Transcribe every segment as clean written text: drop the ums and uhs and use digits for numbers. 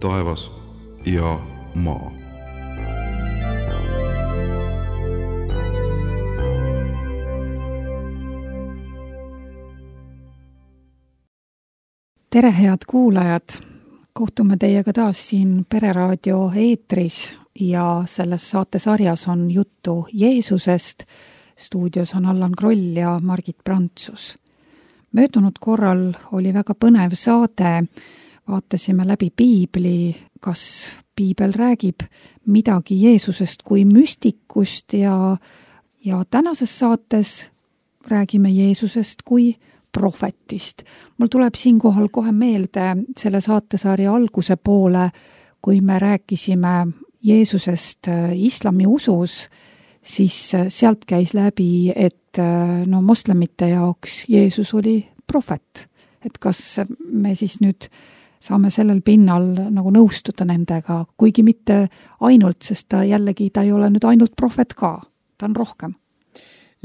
taevas ja maa. Tere, head kuulajad! Kohtume teiega taas siin Pereraadio eetris ja selles saatesarjas on juttu Jeesusest. Stuudios on Allan Kroll ja Margit Prantsus. Möödunud korral oli väga põnev saade. Vaatasime läbi piibli, kas piibel räägib midagi Jeesusest kui müstikust ja tänases saates räägime Jeesusest kui prohvetist. Mul tuleb siinkohal kohe meelde selle saatesarja alguse poole, kui me rääkisime Jeesusest islami usus, siis sealt käis läbi, et moslemite jaoks Jeesus oli prohvet. Et kas me siis nüüd saame sellel pinnal nagu nõustuda nendega, kuigi mitte ainult, sest ta ei ole nüüd ainult prohvet ka, ta on rohkem.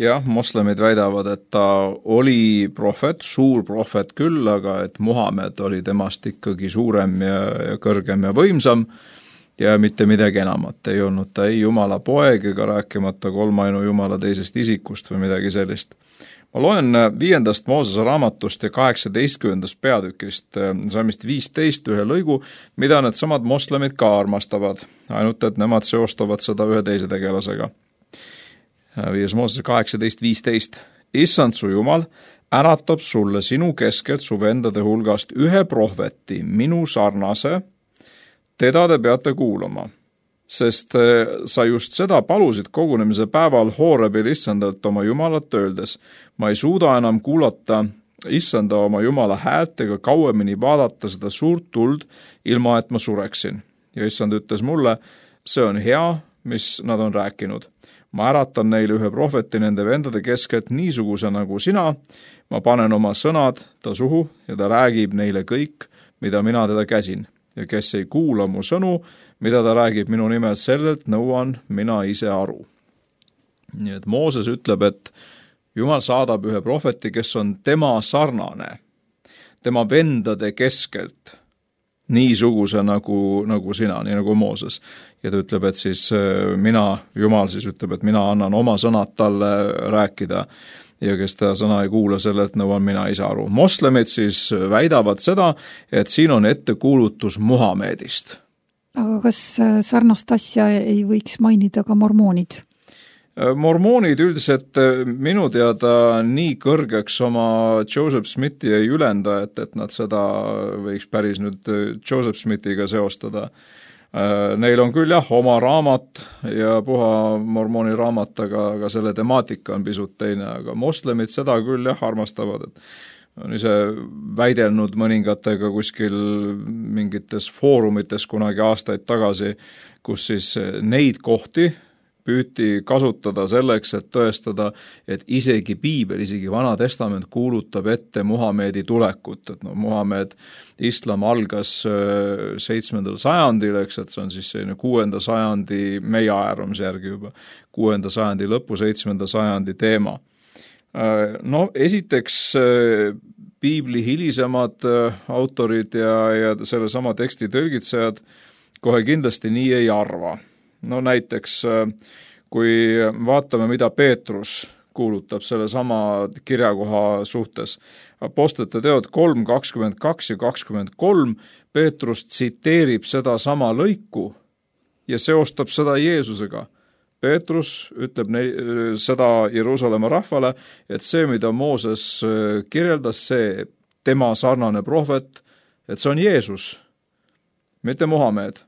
Jah, moslemid väidavad, et ta oli prohvet, suur prohvet küll, aga et Muhamed oli temast ikkagi suurem ja kõrgem ja võimsam ja mitte midagi enamat. Ei olnud ta ei Jumala poeg ega rääkimata kolmainu Jumala teisest isikust või midagi sellist. Ma loen 5. Moosese raamatust ja 18. peatükist, salmist 15 ühe lõigu, mida need samad moslemid ka armastavad, ainult et nemad seostavad seda ühe teise tegelasega. 5. Moosese 18.15. Issand su Jumal äratab sulle sinu keskelt su vendade hulgast ühe prohveti, minu sarnase, teda te peate kuulama, sest sa just seda palusid kogunemise päeval Hoorebil Issandalt oma Jumalat öeldes. Ma ei suuda enam kuulata Issanda oma Jumala häält ega kauemini vaadata seda suurt tuld, ilma et ma sureksin. Ja Issand ütles mulle, see on hea, mis nad on rääkinud. Ma äratan neile ühe prohveti nende vendade keskelt niisuguse nagu sina, ma panen oma sõnad ta suhu ja ta räägib neile kõik, mida mina teda käsin. Ja kes ei kuula mu sõnu, mida ta räägib minu nimel, sellelt nõuan mina ise aru. Nii et Mooses ütleb, et Jumal saadab ühe prohveti, kes on tema sarnane, tema vendade keskelt, niisuguse nagu sina, nii nagu Mooses. Ja ta ütleb, et siis Jumal siis ütleb, et mina annan oma sõnad talle rääkida ja kes ta sõna ei kuula, sellelt nõuan mina ise aru. Moslemid siis väidavad seda, et siin on ettekuulutus Muhamedist. Aga kas sarnast asja ei võiks mainida ka mormoonid? Mormoonid üldiselt minu teada nii kõrgeks oma Joseph Smithi ei ülenda, et nad seda võiks päris nüüd Joseph Smithiga seostada. Neil on küll oma raamat ja puha mormooni raamat, aga selle temaatika on pisut teine, aga moslemid seda küll armastavad, et on ise väidelnud mõningatega kuskil mingites foorumites kunagi aastaid tagasi, kus siis neid kohti püüti kasutada selleks, et tõestada, et isegi piibel, isegi Vana Testament kuulutab ette Muhamedi tulekut. Et Muhamed, islam algas 7. sajandil, eks, et see on siis 6. sajandi meie ajaarvamise järgi juba, 6. sajandi lõpu, 7. sajandi teema. Esiteks piibli hilisemad autorid ja selle sama teksti tõlgitsejad kohe kindlasti nii ei arva. Näiteks, kui vaatame, mida Peetrus kuulutab selle sama kirjakoha suhtes. Apostlite teod 3, 22 ja 23, Peetrus tsiteerib seda sama lõiku ja seostab seda Jeesusega. Peetrus ütleb seda Jeruusalemma rahvale, et see, mida Mooses kirjeldas, see tema sarnane prohvet, et see on Jeesus, mitte Muhamed.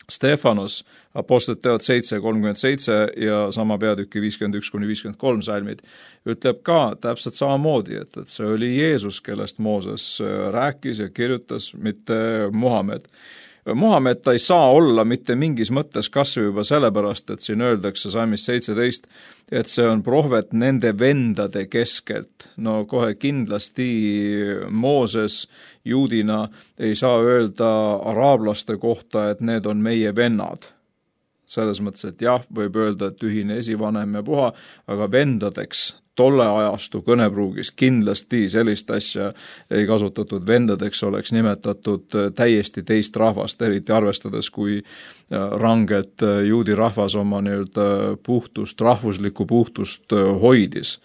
Stefanos, Apostlite teod 7:37 ja sama peatüki 51-53 salmid, ütleb ka täpselt samamoodi, et see oli Jeesus, kellest Mooses rääkis ja kirjutas, mitte Muhamed. Muhamed ta ei saa olla mitte mingis mõttes kasvõi juba sellepärast, et siin öeldakse salmis 17, et see on prohvet nende vendade keskelt. Kohe kindlasti Mooses juudina ei saa öelda araablaste kohta, et need on meie vennad. Selles mõttes, et jah, võib öelda, et ühine esivanem ja puha, aga vendadeks tolle ajastu kõnepruugis kindlasti sellist asja ei kasutatud, vendadeks oleks nimetatud täiesti teist rahvast, eriti arvestades, kui rangelt juudi rahvas oma puhtust, rahvuslikku puhtust hoidis.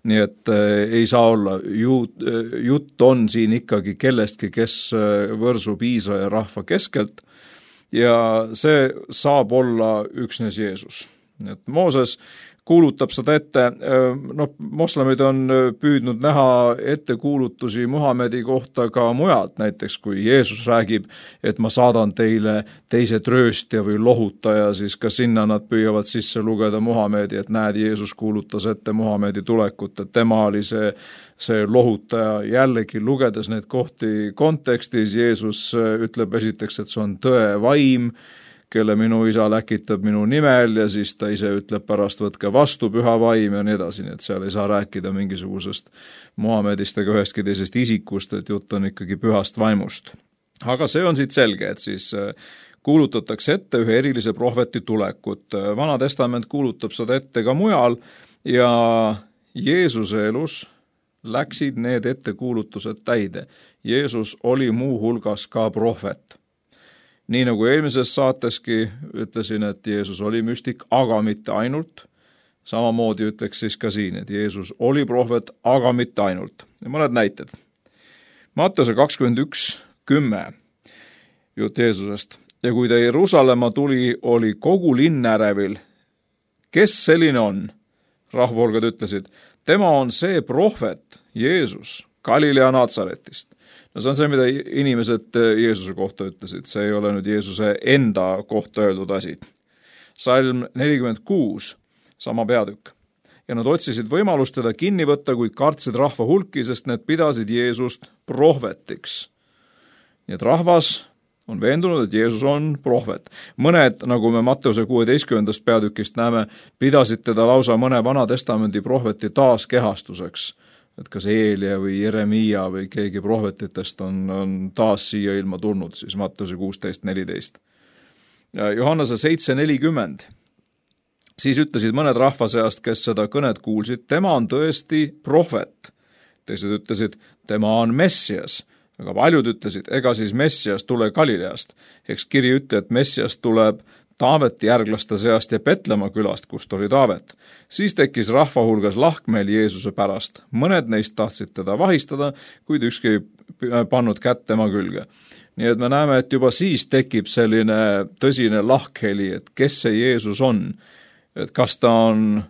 Nii et ei saa olla, jutt on siin ikkagi kellestki, kes võrsub Iisraeli rahva keskelt ja see saab olla üksnes Jeesus. Et Mooses kuulutab seda ette, moslemid on püüdnud näha ettekuulutusi Muhamedi kohta ka mujalt, näiteks kui Jeesus räägib, et ma saadan teile teise trööstja või lohutaja, siis ka sinna nad püüavad sisse lugeda Muhamedi, et näed, Jeesus kuulutas ette Muhamedi tulekut, et tema oli see lohutaja. Jällegi lugedes neid kohti kontekstis, Jeesus ütleb esiteks, et see on tõe vaim, kelle minu isa läkitab minu nimel ja siis ta ise ütleb pärast võtke vastu püha vaim ja nii edasi, nii et seal ei saa rääkida mingisugusest Muhamedist ega ühestki teisest isikust, et jutt on ikkagi pühast vaimust. Aga see on siit selge, et siis kuulutatakse ette ühe erilise prohveti tulekut. Vana testament kuulutab seda ette ka mujal ja Jeesuse elus läksid need ettekuulutused täide. Jeesus oli muu hulgas ka prohvet. Nii nagu eelmises saateski ütlesin, et Jeesus oli müstik, aga mitte ainult. Samamoodi ütleks siis ka siin, et Jeesus oli prohvet, aga mitte ainult. Ja mõned näited. Matteuse 21:10 jutt Jeesusest. Ja kui ta Jeruusalemma tuli, oli kogu linn ärevil. Kes selline on? Rahvahulgad ütlesid, tema on see prohvet, Jeesus, Galilea Natsaretist. No see on see, mida inimesed Jeesuse kohta ütlesid. See ei ole nüüd Jeesuse enda kohta öeldud asi. Salm 46, sama peatükk. Ja nad otsisid võimalust teda kinni võtta, kuid kartsid rahva hulki, sest need pidasid Jeesust prohvetiks. Nii et rahvas on veendunud, et Jeesus on prohvet. Mõned, nagu me Matteuse 16. peatükist näeme, pidasid teda lausa mõne Vana Testamendi prohveti taaskehastuseks. Et kas Eelia või Jeremia või keegi prohvetitest on taas siia ilma tulnud, siis Matteuse 16:14. Johannese 7:40. Siis ütlesid mõned rahva seast, kes seda kõnet kuulsid, tema on tõesti prohvet. Teised ütlesid, tema on Messias. Aga paljud ütlesid, ega siis Messias tule Galileast. Eks kiri ütle, et Messias tuleb Taaveti järglaste seast ja Petlemma külast, kust oli Taavet. Siis tekkis rahva hulgas lahkmeel Jeesuse pärast. Mõned neist tahtsid teda vahistada, kuid ükski ei pannud kätt tema külge. Nii et me näeme, et juba siis tekib selline tõsine lahkheli, et kes see Jeesus on. Et kas ta on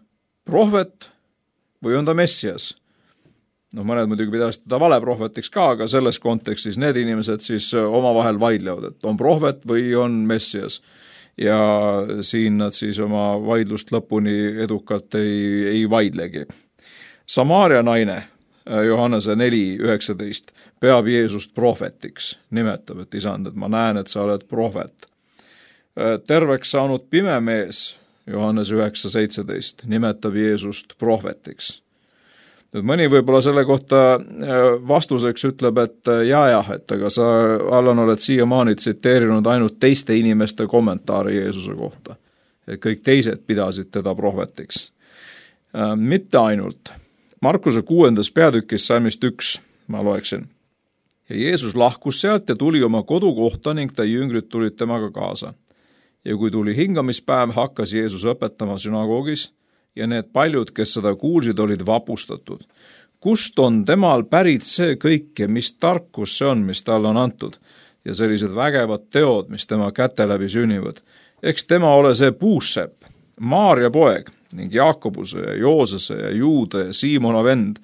prohvet või on ta Messias? Mõned muidugi pidasid teda valeprohvetiks ka, aga selles kontekstis need inimesed siis omavahel vaidlevad, et on prohvet või on Messias. Ja siin nad siis oma vaidlust lõpuni edukalt ei vaidlegi. Samaaria naine, Johannese 4:19, peab Jeesust prohvetiks, nimetab, et isand, et ma näen, et sa oled prohvet. Terveks saanud pime mees, Johannes 9:17, nimetab Jeesust prohvetiks. Nüüd mõni võib-olla selle kohta vastuseks ütleb, et et aga sa, Allan, oled siiamaani tsiteerinud ainult teiste inimeste kommentaari Jeesuse kohta. Et kõik teised pidasid teda prohvetiks. Mitte ainult. Markuse 6. peatükis salmist 1, ma loeksin. Ja Jeesus lahkus sealt ja tuli oma kodukohta ning ta jüngrid tulid temaga kaasa. Ja kui tuli hingamispäev, hakkas Jeesus õpetama sünagoogis, ja need paljud, kes seda kuulsid, olid vapustatud. Kust on temal pärit see kõik ja mis tarkus see on, mis talle on antud? Ja sellised vägevad teod, mis tema käte läbi sünnivad. Eks tema ole see puussepp, Maaria poeg ning Jaakobuse ja Joosese ja Juude ja Siimona vend.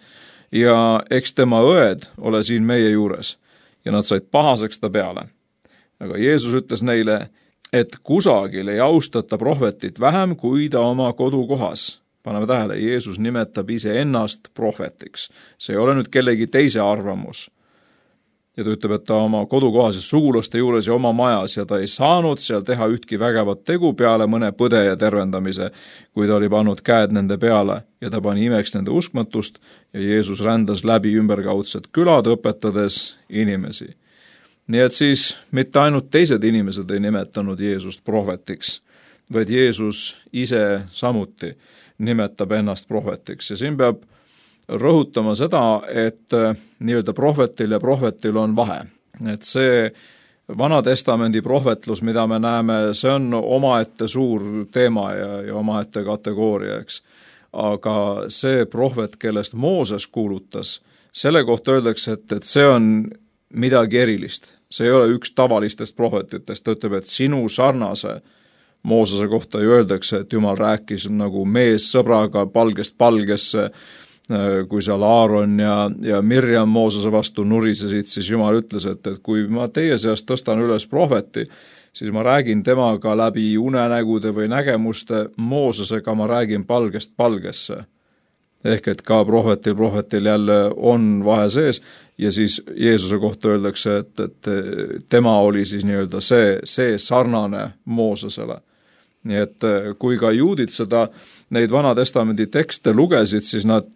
Ja eks tema õed ole siin meie juures. Ja nad said pahaseks ta peale. Aga Jeesus ütles neile, et kusagil ei austata prohvetit vähem kui ta oma kodukohas. Paneme tähele, Jeesus nimetab ise ennast prohvetiks. See ei ole nüüd kellegi teise arvamus. Ja ta ütleb, et ta oma kodukohas ja sugulaste juures ja oma majas ja ta ei saanud seal teha ühtki vägevat tegu peale mõne põdeja tervendamise, kui ta oli pannud käed nende peale ja ta pani imeks nende uskmatust ja Jeesus rändas läbi ümberkaudsed külad õpetades inimesi. Nii et siis mitte ainult teised inimesed ei nimetanud Jeesust prohvetiks, vaid Jeesus ise samuti nimetab ennast prohvetiks. Ja siin peab rõhutama seda, et nii-öelda prohvetil ja prohvetil on vahe. Et see Vana Testamendi prohvetlus, mida me näeme, see on omaette suur teema ja omaette kategooria, eks. Aga see prohvet, kellest Mooses kuulutas, selle kohta öeldakse, et see on midagi erilist. See ei ole üks tavalistest prohvetitest, ta ütleb, et sinu sarnase Moosese kohta ju öeldakse, et Jumal rääkis nagu mees sõbraga palgest palgesse, kui seal Aaron ja Mirjam Moosese vastu nurisesid, siis Jumal ütles, et kui ma teie seast tõstan üles prohveti, siis ma räägin temaga läbi unenägude või nägemuste, Moosesega ma räägin palgest palgesse. Ehk et ka prohvetil jälle on vahe sees ja siis Jeesuse kohta öeldakse, et tema oli siis nii-öelda see sarnane Moosesele. Nii et kui ka juudid neid Vana Testamendi tekste lugesid, siis nad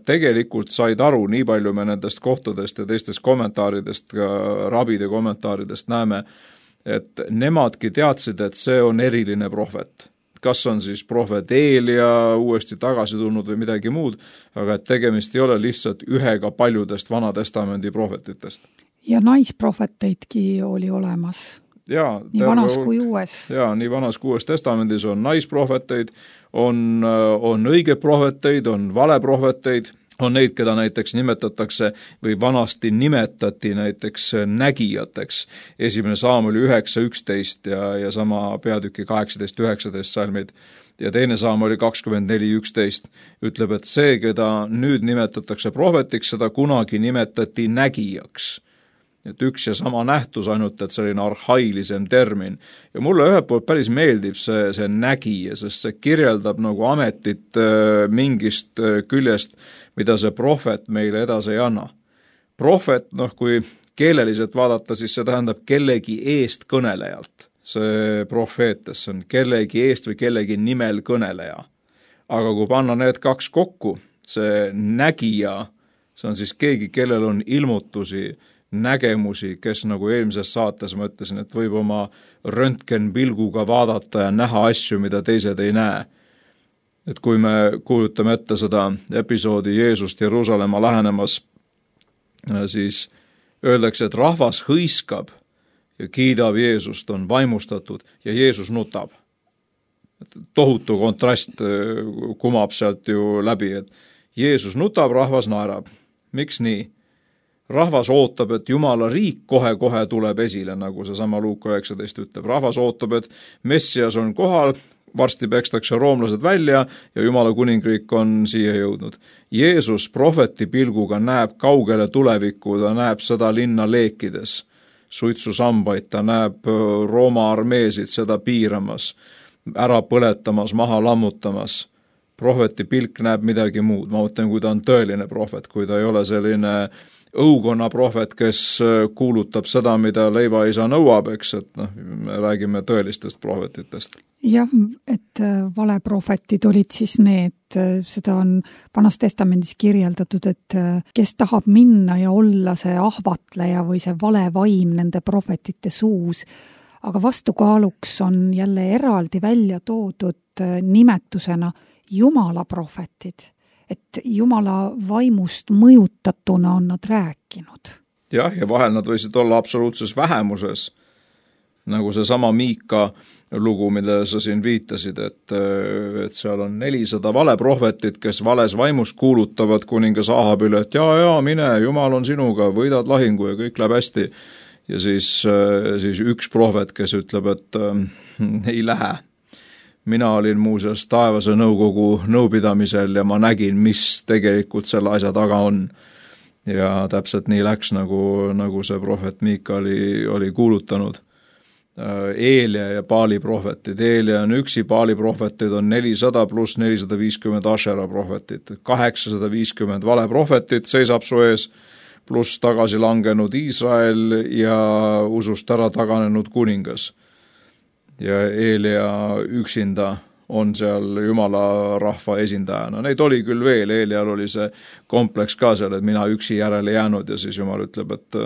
tegelikult said aru, nii palju me nendest kohtadest ja teistest kommentaaridest, ka rabide kommentaaridest näeme, et nemadki teadsid, et see on eriline prohvet. Kas on siis prohvet Eelia uuesti tagasi tulnud või midagi muud, aga et tegemist ei ole lihtsalt ühega paljudest Vana Testamendi prohvetitest. Ja naisprohveteidki oli olemas. Nii vanas kui uues. Nii vanas kui uues testamendis on naisprohveteid, on õige prohveteid, on valeprohveteid, on neid, keda näiteks nimetatakse või vanasti nimetati näiteks nägijateks. 1. Saamuli 9.11 ja sama peatüki 18.19 salmid ja 2. Saamuli 24.11 ütleb, et see, keda nüüd nimetatakse prohvetiks, seda kunagi nimetati nägijaks. Et üks ja sama nähtus, ainult et selline arhailisem termin. Ja mulle ühelt poolt päris meeldib see nägija, sest see kirjeldab nagu ametit mingist küljest, mida see prohvet meile edasi ei anna. Prohvet, kui keeleliselt vaadata, siis see tähendab kellegi eest kõnelejalt. See profeetes on kellegi eest või kellegi nimel kõneleja. Aga kui panna need kaks kokku, see nägija, see on siis keegi, kellel on ilmutusi, nägemusi, kes nagu eelmises saates ma ütlesin, et võib oma röntgenpilguga vaadata ja näha asju, mida teised ei näe. Et kui me kujutame ette seda episoodi Jeesust Jeruusalemma lähenemas, siis öeldakse, et rahvas hõiskab ja kiidab Jeesust, on vaimustatud ja Jeesus nutab. Tohutu kontrast kumab sealt ju läbi, et Jeesus nutab, rahvas naerab. Miks nii? Rahvas ootab, et Jumala riik kohe-kohe tuleb esile, nagu see sama Luuka 19 ütleb. Rahvas ootab, et Messias on kohal, varsti pekstakse roomlased välja ja Jumala kuningriik on siia jõudnud. Jeesus prohveti pilguga näeb kaugele tulevikku, ta näeb seda linna leekides, suitsusambaid, ta näeb Rooma armeesid seda piiramas, ära põletamas, maha lammutamas. Prohveti pilk näeb midagi muud. Ma mõtlen, kui ta on tõeline prohvet, kui ta ei ole selline õukonna prohvet, kes kuulutab seda, mida leivaisa nõuab, eks, et me räägime tõelistest prohvetitest. Jah, et valeprohvetid olid siis need, seda on Vanas Testamendis kirjeldatud, et kes tahab minna ja olla see ahvatleja või see valevaim nende prohvetite suus, aga vastukaaluks on jälle eraldi välja toodud nimetusena Jumala prohvetid. Et Jumala vaimust mõjutatuna on nad rääkinud. Jah, ja vahel nad võisid olla absoluutses vähemuses, nagu see sama Miika lugu, mida sa siin viitasid, et seal on 400 valeprohvetit, kes vales vaimus kuulutavad kuningas Ahabile, et mine, Jumal on sinuga, võidad lahingu ja kõik läheb hästi. Ja siis üks prohvet, kes ütleb, et ei lähe. Mina olin muuseas taevase nõukogu nõupidamisel ja ma nägin, mis tegelikult selle asja taga on. Ja täpselt nii läks, nagu see prohvet Miika oli kuulutanud. Eelia ja Baali prohvetid. Eelia on üksi, Baali prohvetid on 400 pluss 450 Ashera prohvetit. 850 valeprohvetit seisab su ees, pluss tagasi langenud Iisrael ja usust ära taganenud kuningas. Ja Eelia üksinda on seal Jumala rahva esindajana. Neid oli küll veel, Eelial oli see kompleks ka seal, et mina üksi järele jäänud ja siis Jumal ütleb, et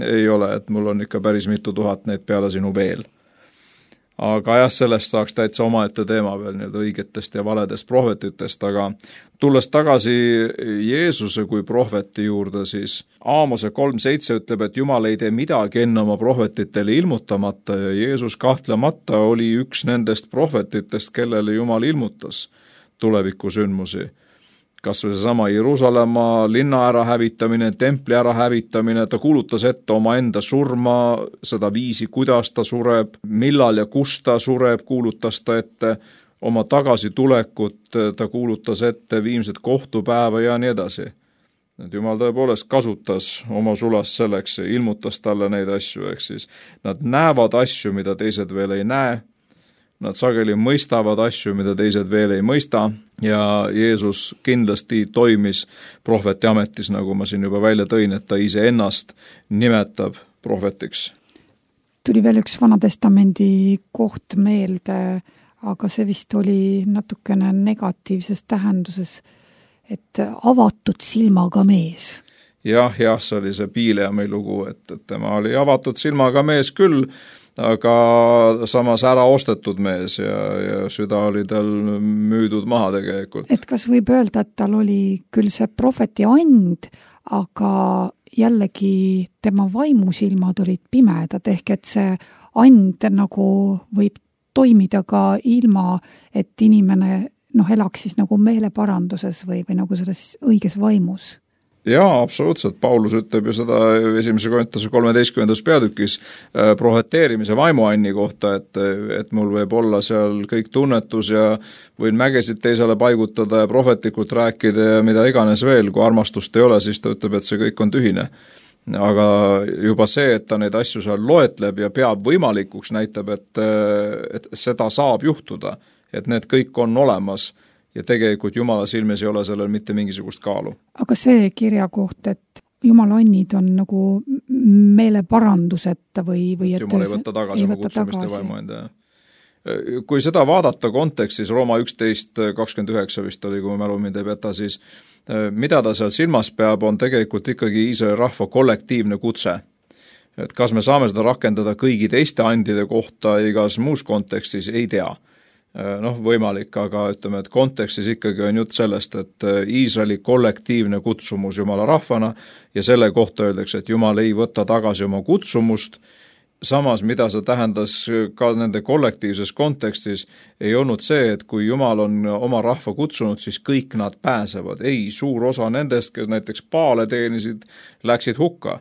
ei ole, et mul on ikka päris mitu tuhat neid peale sinu veel. aga jah, sellest saaks täitsa omaette teema veel nii-öelda õigetest ja valedest prohvetitest, aga tulles tagasi Jeesuse kui prohveti juurde, siis Aamose 3.7 ütleb, et Jumal ei tee midagi enne oma prohvetitele ilmutamata ja Jeesus kahtlemata oli üks nendest prohvetitest, kellele Jumal ilmutas tulevikusündmusi. Kas või seesama Jeruusalemma linna ärahävitamine, templi ärahävitamine, ta kuulutas ette omaenda surma, seda viisi, kuidas ta sureb, millal ja kus ta sureb, kuulutas ta ette oma tagasitulekut, ta kuulutas ette viimset kohtupäeva ja nii edasi. Et Jumal tõepoolest kasutas oma sulast selleks ja ilmutas talle neid asju, ehk siis nad näevad asju, mida teised veel ei näe. Nad sageli mõistavad asju, mida teised veel ei mõista ja Jeesus kindlasti toimis prohveti ametis, nagu ma siin juba välja tõin, et ta iseennast nimetab prohvetiks. Tuli veel üks Vanatestamendi koht meelde, aga see vist oli natukene negatiivses tähenduses, et avatud silmaga mees. Jah, see oli see Piileami lugu, et tema oli avatud silmaga mees küll, aga samas ära ostetud mees ja süda oli tal müüdud maha tegelikult. Et kas võib öelda, et tal oli küll see prohveti and, aga jällegi tema vaimusilmad olid pimedad, ehk et see and nagu võib toimida ka ilma, et inimene elaks siis nagu meeleparanduses või nagu selles õiges vaimus. Jaa, absoluutselt. Paulus ütleb ju seda 1. Korintuse 13. peatükis proheteerimise vaimuanni kohta, et mul võib olla seal kõik tunnetus ja võin mägesid teisele paigutada ja prohvetlikult rääkida ja mida iganes veel, kui armastust ei ole, siis ta ütleb, et see kõik on tühine. Aga juba see, et ta neid asju seal loetleb ja peab võimalikuks, näitab, et seda saab juhtuda, et need kõik on olemas ja tegelikult Jumala silmis ei ole sellel mitte mingisugust kaalu. Aga see kirja koht, et Jumala annid on nagu meeleparanduseta või et Jumal ei võtta tagasi oma kutsumist ja vaimu enda. Kui seda vaadata kontekstis, Rooma 11.29 vist oli, kui ma mälu mind ei peta, siis mida ta seal silmas peab, on tegelikult ikkagi Iisraeli rahva kollektiivne kutse. Et kas me saame seda rakendada kõigi teiste andide kohta igas muus kontekstis, ei tea. Võimalik, aga ütleme, et kontekstis ikkagi on jutt sellest, et Iisraeli kollektiivne kutsumus Jumala rahvana ja selle kohta öeldakse, et Jumal ei võta tagasi oma kutsumust. Samas, mida see tähendas ka nende kollektiivses kontekstis, ei olnud see, et kui Jumal on oma rahva kutsunud, siis kõik nad pääsevad. Ei, suur osa nendest, kes näiteks Paale teenisid, läksid hukka.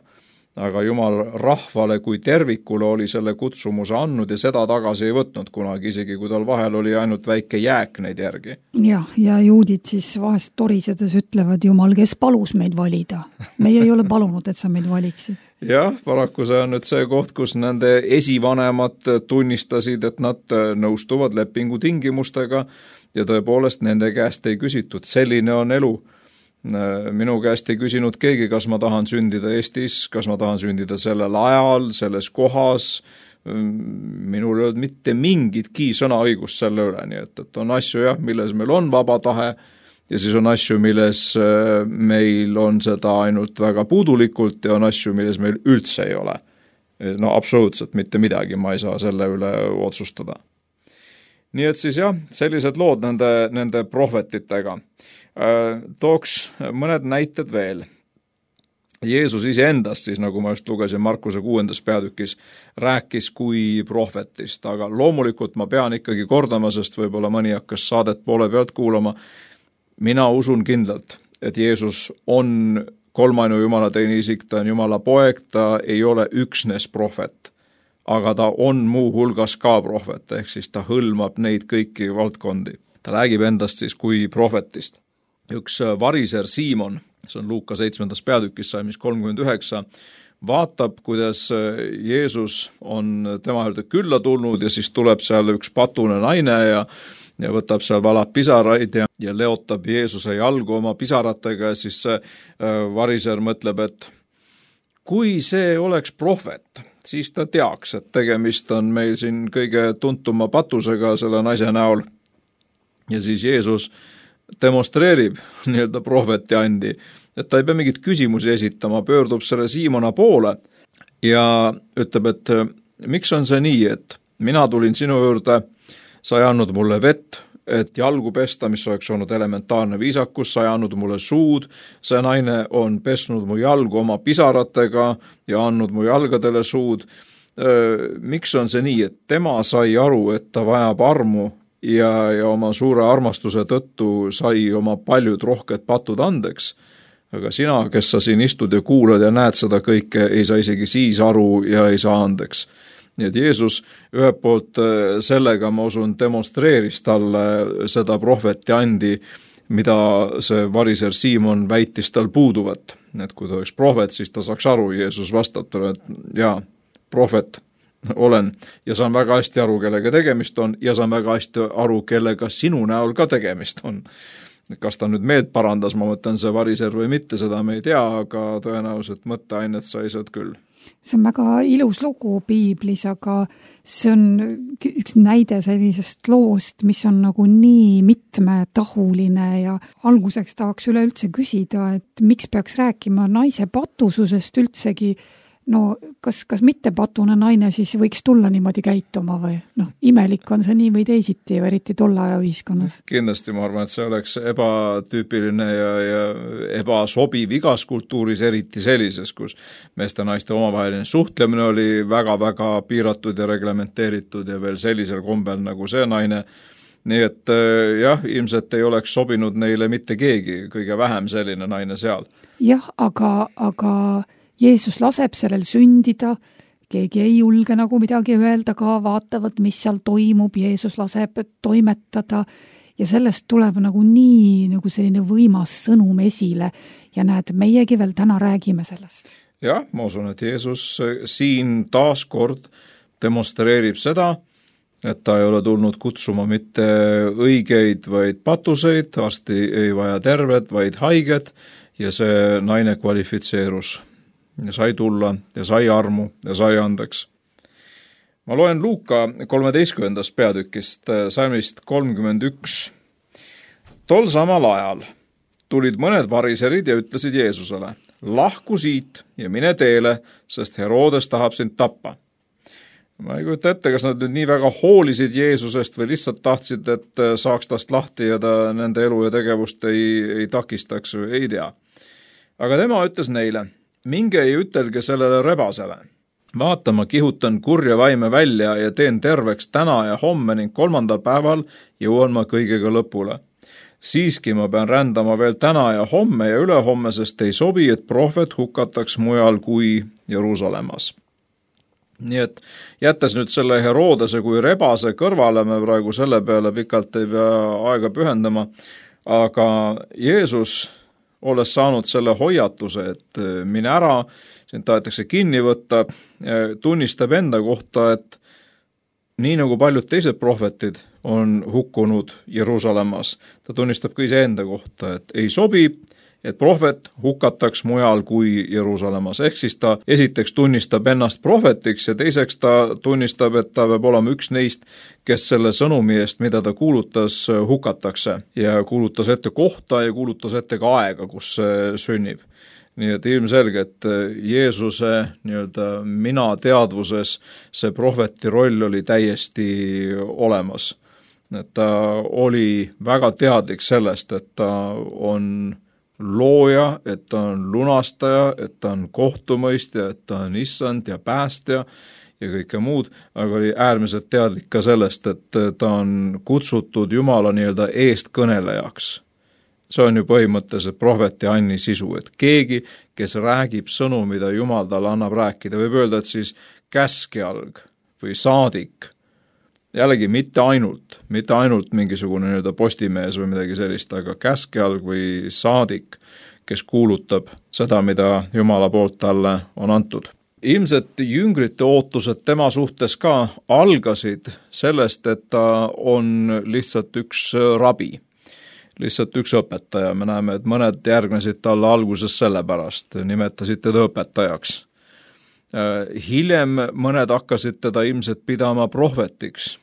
Aga Jumal rahvale kui tervikule oli selle kutsumuse andnud ja seda tagasi ei võtnud kunagi, isegi kui tal vahel oli ainult väike jääk neid järgi. Ja juudid siis vahest torisedes ütlevad, Jumal, kes palus meid valida? Meie ei ole palunud, et sa meid valiksid. Jah, paraku see on nüüd see koht, kus nende esivanemad tunnistasid, et nad nõustuvad lepingu tingimustega ja tõepoolest nende käest ei küsitud. Selline on elu. Minu käest ei küsinud keegi, kas ma tahan sündida Eestis, kas ma tahan sündida sellel ajal, selles kohas. Minul ei olnud mitte mingitki sõnaõigust selle üle, nii et on asju, milles meil on vaba tahe ja siis on asju, milles meil on seda ainult väga puudulikult ja on asju, milles meil üldse ei ole. Absoluutselt mitte midagi, ma ei saa selle üle otsustada. Nii et siis sellised lood nende prohvetitega. Tooks mõned näited veel. Jeesus iseendast siis, nagu ma just lugesin Markuse 6. peatükis, rääkis kui prohvetist, aga loomulikult ma pean ikkagi kordama, sest võib-olla mõni hakkas saadet poole pealt kuulama. Mina usun kindlalt, et Jeesus on kolmainu Jumala teine isik, ta on Jumala poeg, ta ei ole üksnes prohvet, aga ta on muu hulgas ka prohvet, ehk siis ta hõlmab neid kõiki valdkondi. Ta räägib endast siis kui prohvetist. Üks variser Siimon, see on Luuka 7. peatükis, salmis 39, vaatab, kuidas Jeesus on tema juurde külla tulnud ja siis tuleb seal üks patune naine ja võtab seal valab pisaraid ja leotab Jeesuse jalgu oma pisaratega ja siis see variser mõtleb, et kui see oleks prohvet, siis ta teaks, et tegemist on meil siin kõige tuntuma patusega selle naise näol. Ja siis Jeesus demonstreerib nii-öelda prohveti andi, et ta ei pea mingit küsimusi esitama, pöördub selle Siimona poole ja ütleb, et miks on see nii, et mina tulin sinu juurde, sa ei andnud mulle vett, et jalgu pesta, mis oleks olnud elementaarne viisakus, sa ei andnud mulle suud, see naine on pesnud mu jalgu oma pisaratega ja andnud mu jalgadele suud. Miks on see nii, et tema sai aru, et ta vajab armu ja oma suure armastuse tõttu sai oma paljud rohked patud andeks? Aga sina, kes sa siin istud ja kuulad ja näed seda kõike, ei saa isegi siis aru ja ei saa andeks. Nii et Jeesus ühelt poolt sellega, ma usun, demonstreeris talle seda prohveti andi, mida see variser Siimon väitis tal puuduvat. Et kui ta oleks prohvet, siis ta saaks aru. Jeesus vastab talle, et jaa, prohvet olen ja saan väga hästi aru, kellega tegemist on ja saan väga hästi aru, kellega sinu näol ka tegemist on. Kas ta nüüd meelt parandas, ma mõtlen see variser või mitte, seda me ei tea, aga tõenäoliselt mõtteainet sai sealt küll. See on väga ilus lugu piiblis, aga see on üks näide sellisest loost, mis on nagu nii mitmetahuline ja alguseks tahaks üleüldse küsida, et miks peaks rääkima naise patususest üldsegi. No kas mitte patune naine siis võiks tulla niimoodi käituma või? Imelik on see nii või teisiti, eriti tolle aja ühiskonnas. Kindlasti ma arvan, et see oleks ebatüüpiline ja ebasobiv igas kultuuris, eriti sellises, kus meeste ja naiste omavaheline suhtlemine oli väga-väga piiratud ja reglementeeritud ja veel sellisel kombel nagu see naine. Nii et jah, ilmselt ei oleks sobinud neile mitte keegi, kõige vähem selline naine seal. Jah, aga Jeesus laseb sellel sündida, keegi ei julge nagu midagi öelda ka, vaatavad, mis seal toimub, Jeesus laseb toimetada ja sellest tuleb nagu nii nagu selline võimas sõnum esile ja näed, meiegi veel täna räägime sellest. Jah, ma usun, et Jeesus siin taas kord demonstreerib seda, et ta ei ole tulnud kutsuma mitte õigeid, vaid patuseid, arsti ei vaja terved, vaid haiged ja see naine kvalifitseerus. Ja sai tulla ja sai armu ja sai andeks. Ma loen Luuka 13. peatükist, salmist 31. Tol samal ajal tulid mõned variserid ja ütlesid Jeesusele, lahku siit ja mine teele, sest Herodes tahab sind tappa. Ma ei kujuta ette, kas nad nüüd nii väga hoolisid Jeesusest või lihtsalt tahtsid, et saaks tast lahti ja ta nende elu ja tegevust ei takistaks või ei tea. Aga tema ütles neile, minge ei ütelge sellele rebasele. Vaata, ma kihutan kurja vaime välja ja teen terveks täna ja homme ning 3. päeval jõuan ma kõigega lõpule. Siiski ma pean rändama veel täna ja homme ja ülehomme, sest ei sobi, et prohvet hukataks mujal kui Jeruusalemmas. Nii et jättes nüüd selle Herodese kui rebase kõrvale, me praegu selle peale pikalt ei pea aega pühendama, aga Jeesus olles saanud selle hoiatuse, et mine ära, sind tahetakse kinni võtta, tunnistab enda kohta, et nii nagu paljud teised prohvetid on hukkunud Jeruusalemmas, ta tunnistab ka iseenda kohta, et ei sobi, et prohvet hukataks mujal kui Jeruusalemmas. Ehk siis ta esiteks tunnistab ennast prohvetiks ja teiseks ta tunnistab, et ta peab olema üks neist, kes selle sõnumi eest, mida ta kuulutas, hukatakse. Ja kuulutas ette kohta ja kuulutas ette ka aega, kus see sünnib. Nii et ilmselge, et Jeesuse mina teadvuses see prohveti roll oli täiesti olemas. Et ta oli väga teadlik sellest, et ta on looja, et ta on lunastaja, et ta on kohtumõistja, et ta on issand ja päästja ja kõike muud, aga oli äärmiselt teadlik ka sellest, et ta on kutsutud Jumala eestkõnelejaks. See on ju põhimõtteliselt prohveti Anni sisu, et keegi, kes räägib sõnu, mida Jumal talle annab rääkida, võib öelda, et siis käskjalg või saadik, jällegi mitte ainult mingisugune postimees või midagi sellist, aga käskjalg või saadik, kes kuulutab seda, mida Jumala poolt talle on antud. Ilmselt jüngrite ootused tema suhtes ka algasid sellest, et ta on lihtsalt üks rabi, lihtsalt üks õpetaja. Me näeme, et mõned järgnesid talle alguses sellepärast, nimetasid teda õpetajaks. Hiljem mõned hakkasid teda ilmselt pidama prohvetiks.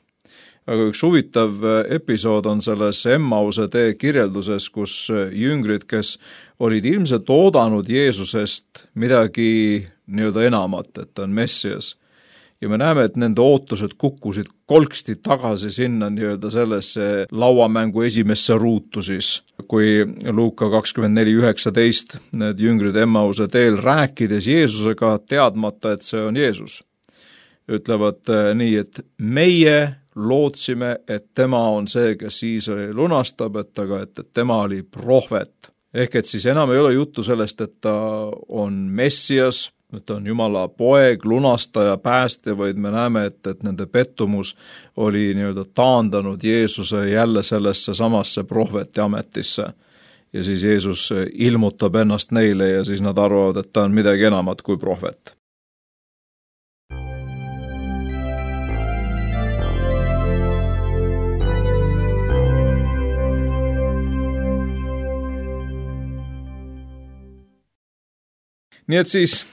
Aga üks huvitav episood on selles Emmause tee kirjelduses, kus jüngrid, kes olid ilmselt oodanud Jeesusest midagi enamat, et ta on Messias. ja me näeme, et nende ootused kukkusid kolksti tagasi sinna nii-öelda sellesse lauamängu esimesse ruutu siis, kui Luuka 24:19 need jüngrid Emmause teel rääkides Jeesusega, teadmata, et see on Jeesus, ütlevad nii, et meie lootsime, et tema on see, kes Iisraeli lunastab, et tema oli prohvet. Ehk et siis enam ei ole juttu sellest, et ta on Messias, et ta on Jumala poeg, lunastaja, päästja, vaid me näeme, et nende pettumus oli nii-öelda taandanud Jeesuse jälle sellesse samasse prohveti ametisse. Ja siis Jeesus ilmutab ennast neile ja siis nad arvavad, et ta on midagi enamat kui prohvet. Nii et siis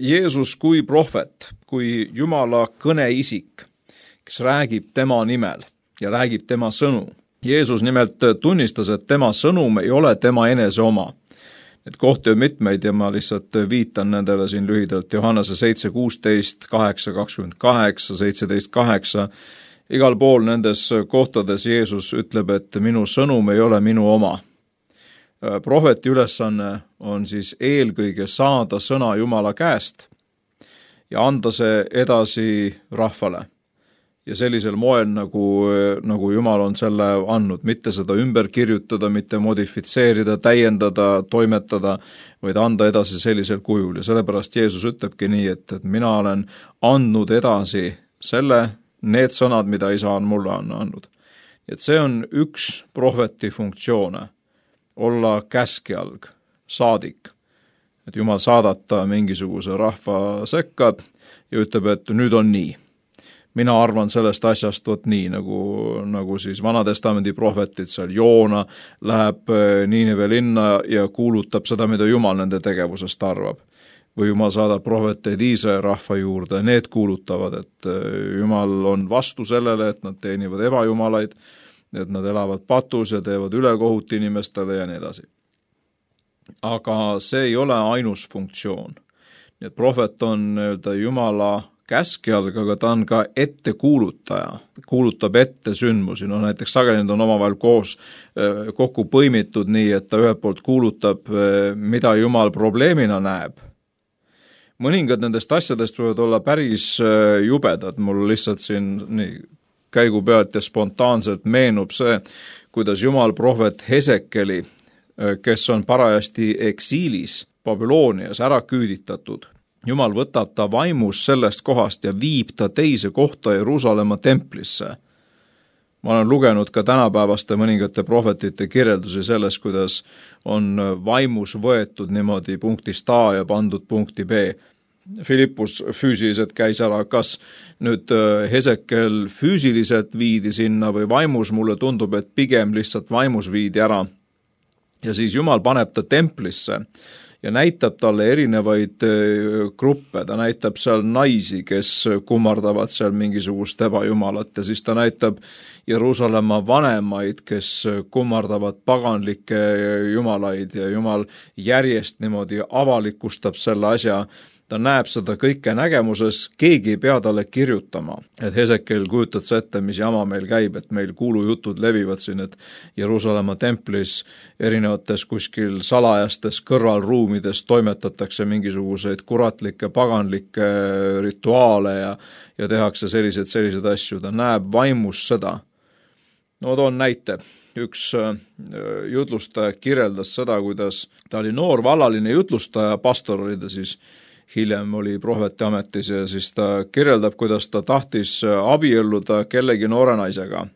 Jeesus kui prohvet, kui Jumala kõneisik, kes räägib tema nimel ja räägib tema sõnu. Jeesus nimelt tunnistas, et tema sõnum ei ole tema enese oma. Need kohti on mitmeid ja ma lihtsalt viitan nendele siin lühidalt. Johannese 7:16, 8:28, 17:8. Igal pool nendes kohtades Jeesus ütleb, et minu sõnum ei ole minu oma. Prohveti ülesanne on siis eelkõige saada sõna Jumala käest ja anda see edasi rahvale. Ja sellisel moel, nagu Jumal on selle andnud, mitte seda ümber kirjutada, mitte modifitseerida, täiendada, toimetada, vaid anda edasi sellisel kujul. Ja sellepärast Jeesus ütlebki nii, et mina olen andnud edasi need sõnad, mida Isa on mulle andnud. Et see on üks prohveti funktsioone. Olla käskjalg, saadik, et Jumal saadata mingisuguse rahva sekka ja ütleb, et nüüd on nii. Mina arvan sellest asjast nii, nagu siis Vanatestamendi prohvetid seal Joona läheb Niineve linna ja kuulutab seda, mida Jumal nende tegevusest arvab. Või Jumal saadab prohveteid Iisraeli rahva juurde, need kuulutavad, et Jumal on vastu sellele, et nad teenivad ebajumalaid, et nad elavad patus ja teevad ülekohut inimestele ja nii edasi. Aga see ei ole ainus funktsioon. Nii et prohvet on Jumala käskjalg, aga ta on ka ettekuulutaja, kuulutab ette sündmusi. No näiteks sageli need on omavahel kokku põimitud nii, et ta ühelt poolt kuulutab, mida Jumal probleemina näeb. Mõningad nendest asjadest võivad olla päris jubedad, mul lihtsalt siin käigu pealt ja spontaanselt meenub see, kuidas Jumal prohvet Hesekeli, kes on parajasti eksiilis Babylonias ära küüditatud. Jumal võtab ta vaimus sellest kohast ja viib ta teise kohta Jeruusalemma templisse. Ma olen lugenud ka tänapäevaste mõningate prohvetite kirjeldusi selles, kuidas on vaimus võetud niimoodi punktist A ja pandud punkti B. Filippus füüsiliselt käis ära, kas nüüd Hesekel füüsiliselt viidi sinna või vaimus, mulle tundub, et pigem lihtsalt vaimus viidi ära. Ja siis Jumal paneb ta templisse ja näitab talle erinevaid gruppe, ta näitab seal naisi, kes kummardavad seal mingisugust ebajumalat ja siis ta näitab Jeruusalemma vanemaid, kes kummardavad paganlikke jumalaid ja Jumal järjest niimoodi avalikustab selle asja. Ta näeb seda kõike nägemuses, keegi ei pea talle kirjutama. Et Hesekel kujutad sa ette, mis jama meil käib, et meil kuulujutud levivad siin, et Jeruusalemma templis erinevates kuskil salajastes kõrvalruumides toimetatakse mingisuguseid kuratlikke, paganlikke rituaale ja tehakse selliseid asju. Ta näeb vaimus seda. No toon näite. Üks jutlustaja kirjeldas seda, kuidas ta oli noor vallaline jutlustaja, pastor oli ta siis, hiljem oli prohveti ametis ja siis ta kirjeldab, kuidas ta tahtis abielluda kellegi noore naisega.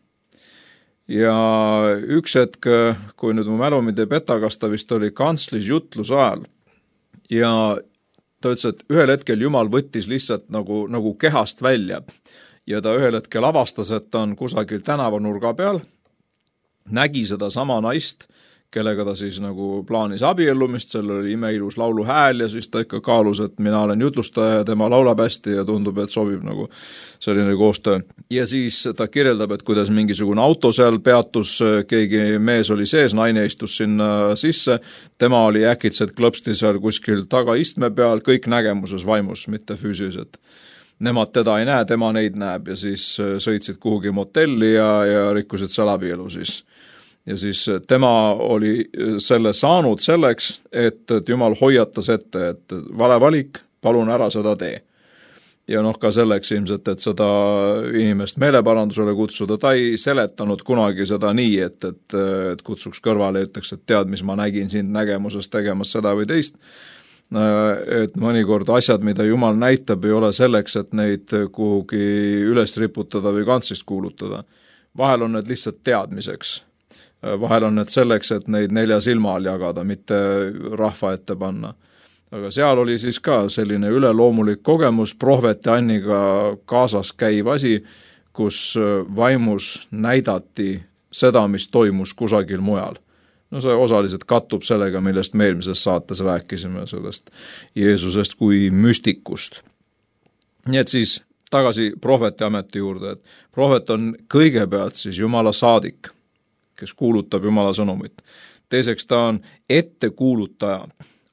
Ja üks hetk, kui nüüd mu mälu mind ei peta, kas ta vist oli kantslis jutluse ajal ja ta ütles, et ühel hetkel Jumal võttis lihtsalt nagu kehast välja ja ta ühel hetkel avastas, et ta on kusagil tänavanurga peal, nägi seda sama naist, kellega ta siis nagu plaanis abiellumist, sellel oli imeilus lauluhääl ja siis ta ikka kaalus, et mina olen jutlustaja ja tema laulab hästi ja tundub, et sobib nagu selline koostöö. Ja siis ta kirjeldab, et kuidas mingisugune auto seal peatus, keegi mees oli sees, naine istus sinna sisse, tema oli äkitselt klõpsti seal kuskil tagaistme peal, kõik nägemuses vaimus, mitte füüsiliselt. nemad teda ei näe, tema neid näeb ja siis sõitsid kuhugi motelli ja rikkusid seal abielu siis. Ja siis tema oli selle saanud selleks, et Jumal hoiatas ette, et vale valik, palun ära seda tee. Ja ka selleks ilmselt, et seda inimest meeleparandusele kutsuda, ta ei seletanud kunagi seda nii, et kutsuks kõrvale ja ütleks, et tead, mis ma nägin sind nägemuses tegemas seda või teist. Et mõnikord asjad, mida Jumal näitab, ei ole selleks, et neid kuhugi üles riputada või kantslist kuulutada. Vahel on need lihtsalt teadmiseks. Vahel on need selleks, et neid 4 silma all jagada, mitte rahva ette panna. Aga seal oli siis ka selline üleloomulik kogemus, prohveti Anniga kaasas käiv asi, kus vaimus näidati seda, mis toimus kusagil mujal. No see osaliselt kattub sellega, millest me eelmises saates rääkisime, sellest Jeesusest kui müstikust. Nii et siis tagasi prohveti ameti juurde, et prohvet on kõigepealt siis Jumala saadik, kes kuulutab Jumala sõnumit. Teiseks ta on ettekuulutaja,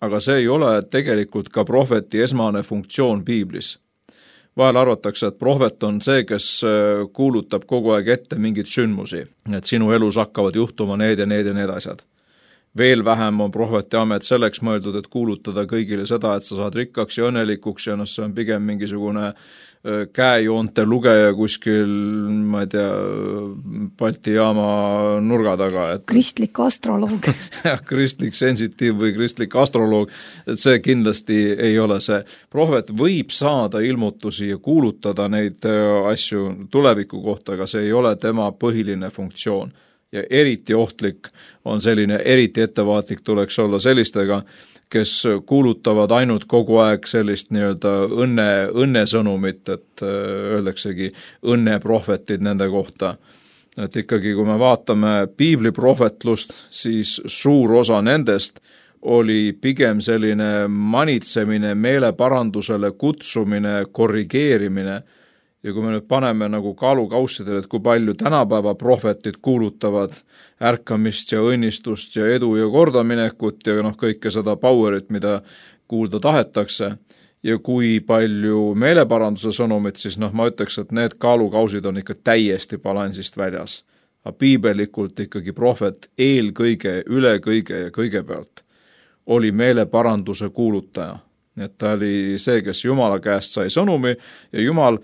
aga see ei ole tegelikult ka prohveti esmane funktsioon piiblis. Vahel arvatakse, et prohvet on see, kes kuulutab kogu aeg ette mingid sündmusi, et sinu elus hakkavad juhtuma need ja need asjad. Veel vähem on prohveti amet selleks mõeldud, et kuulutada kõigile seda, et sa saad rikkaks ja õnnelikuks ja see on pigem mingisugune käejoonte lugeja kuskil, ma ei tea, Balti jaama nurga taga. Kristlik astroloog. Kristlik sensitiiv või kristlik astroloog, et see kindlasti ei ole see. Prohvet võib saada ilmutusi ja kuulutada neid asju tuleviku kohta, aga see ei ole tema põhiline funktsioon. Ja eriti ohtlik on selline, eriti ettevaatlik tuleks olla sellistega, kes kuulutavad ainult kogu aeg sellist nii-öelda õnnesõnumit, et öeldaksegi õnneprohvetid nende kohta. Et ikkagi, kui me vaatame piibliprohvetlust, siis suur osa nendest oli pigem selline manitsemine, meeleparandusele kutsumine, korrigeerimine. Ja kui me nüüd paneme nagu kaalukaussidele, et kui palju tänapäeva prohvetid kuulutavad ärkamist ja õnnistust ja edu ja kordaminekut ja kõike seda powerit, mida kuulda tahetakse, ja kui palju meeleparanduse sõnumit, siis ma ütleks, et need kaalukausid on ikka täiesti balansist väljas. Aga piibelikult ikkagi prohvet eelkõige, üle kõige ja kõigepealt oli meeleparanduse kuulutaja. Et ta oli see, kes Jumala käest sai sõnumi ja Jumal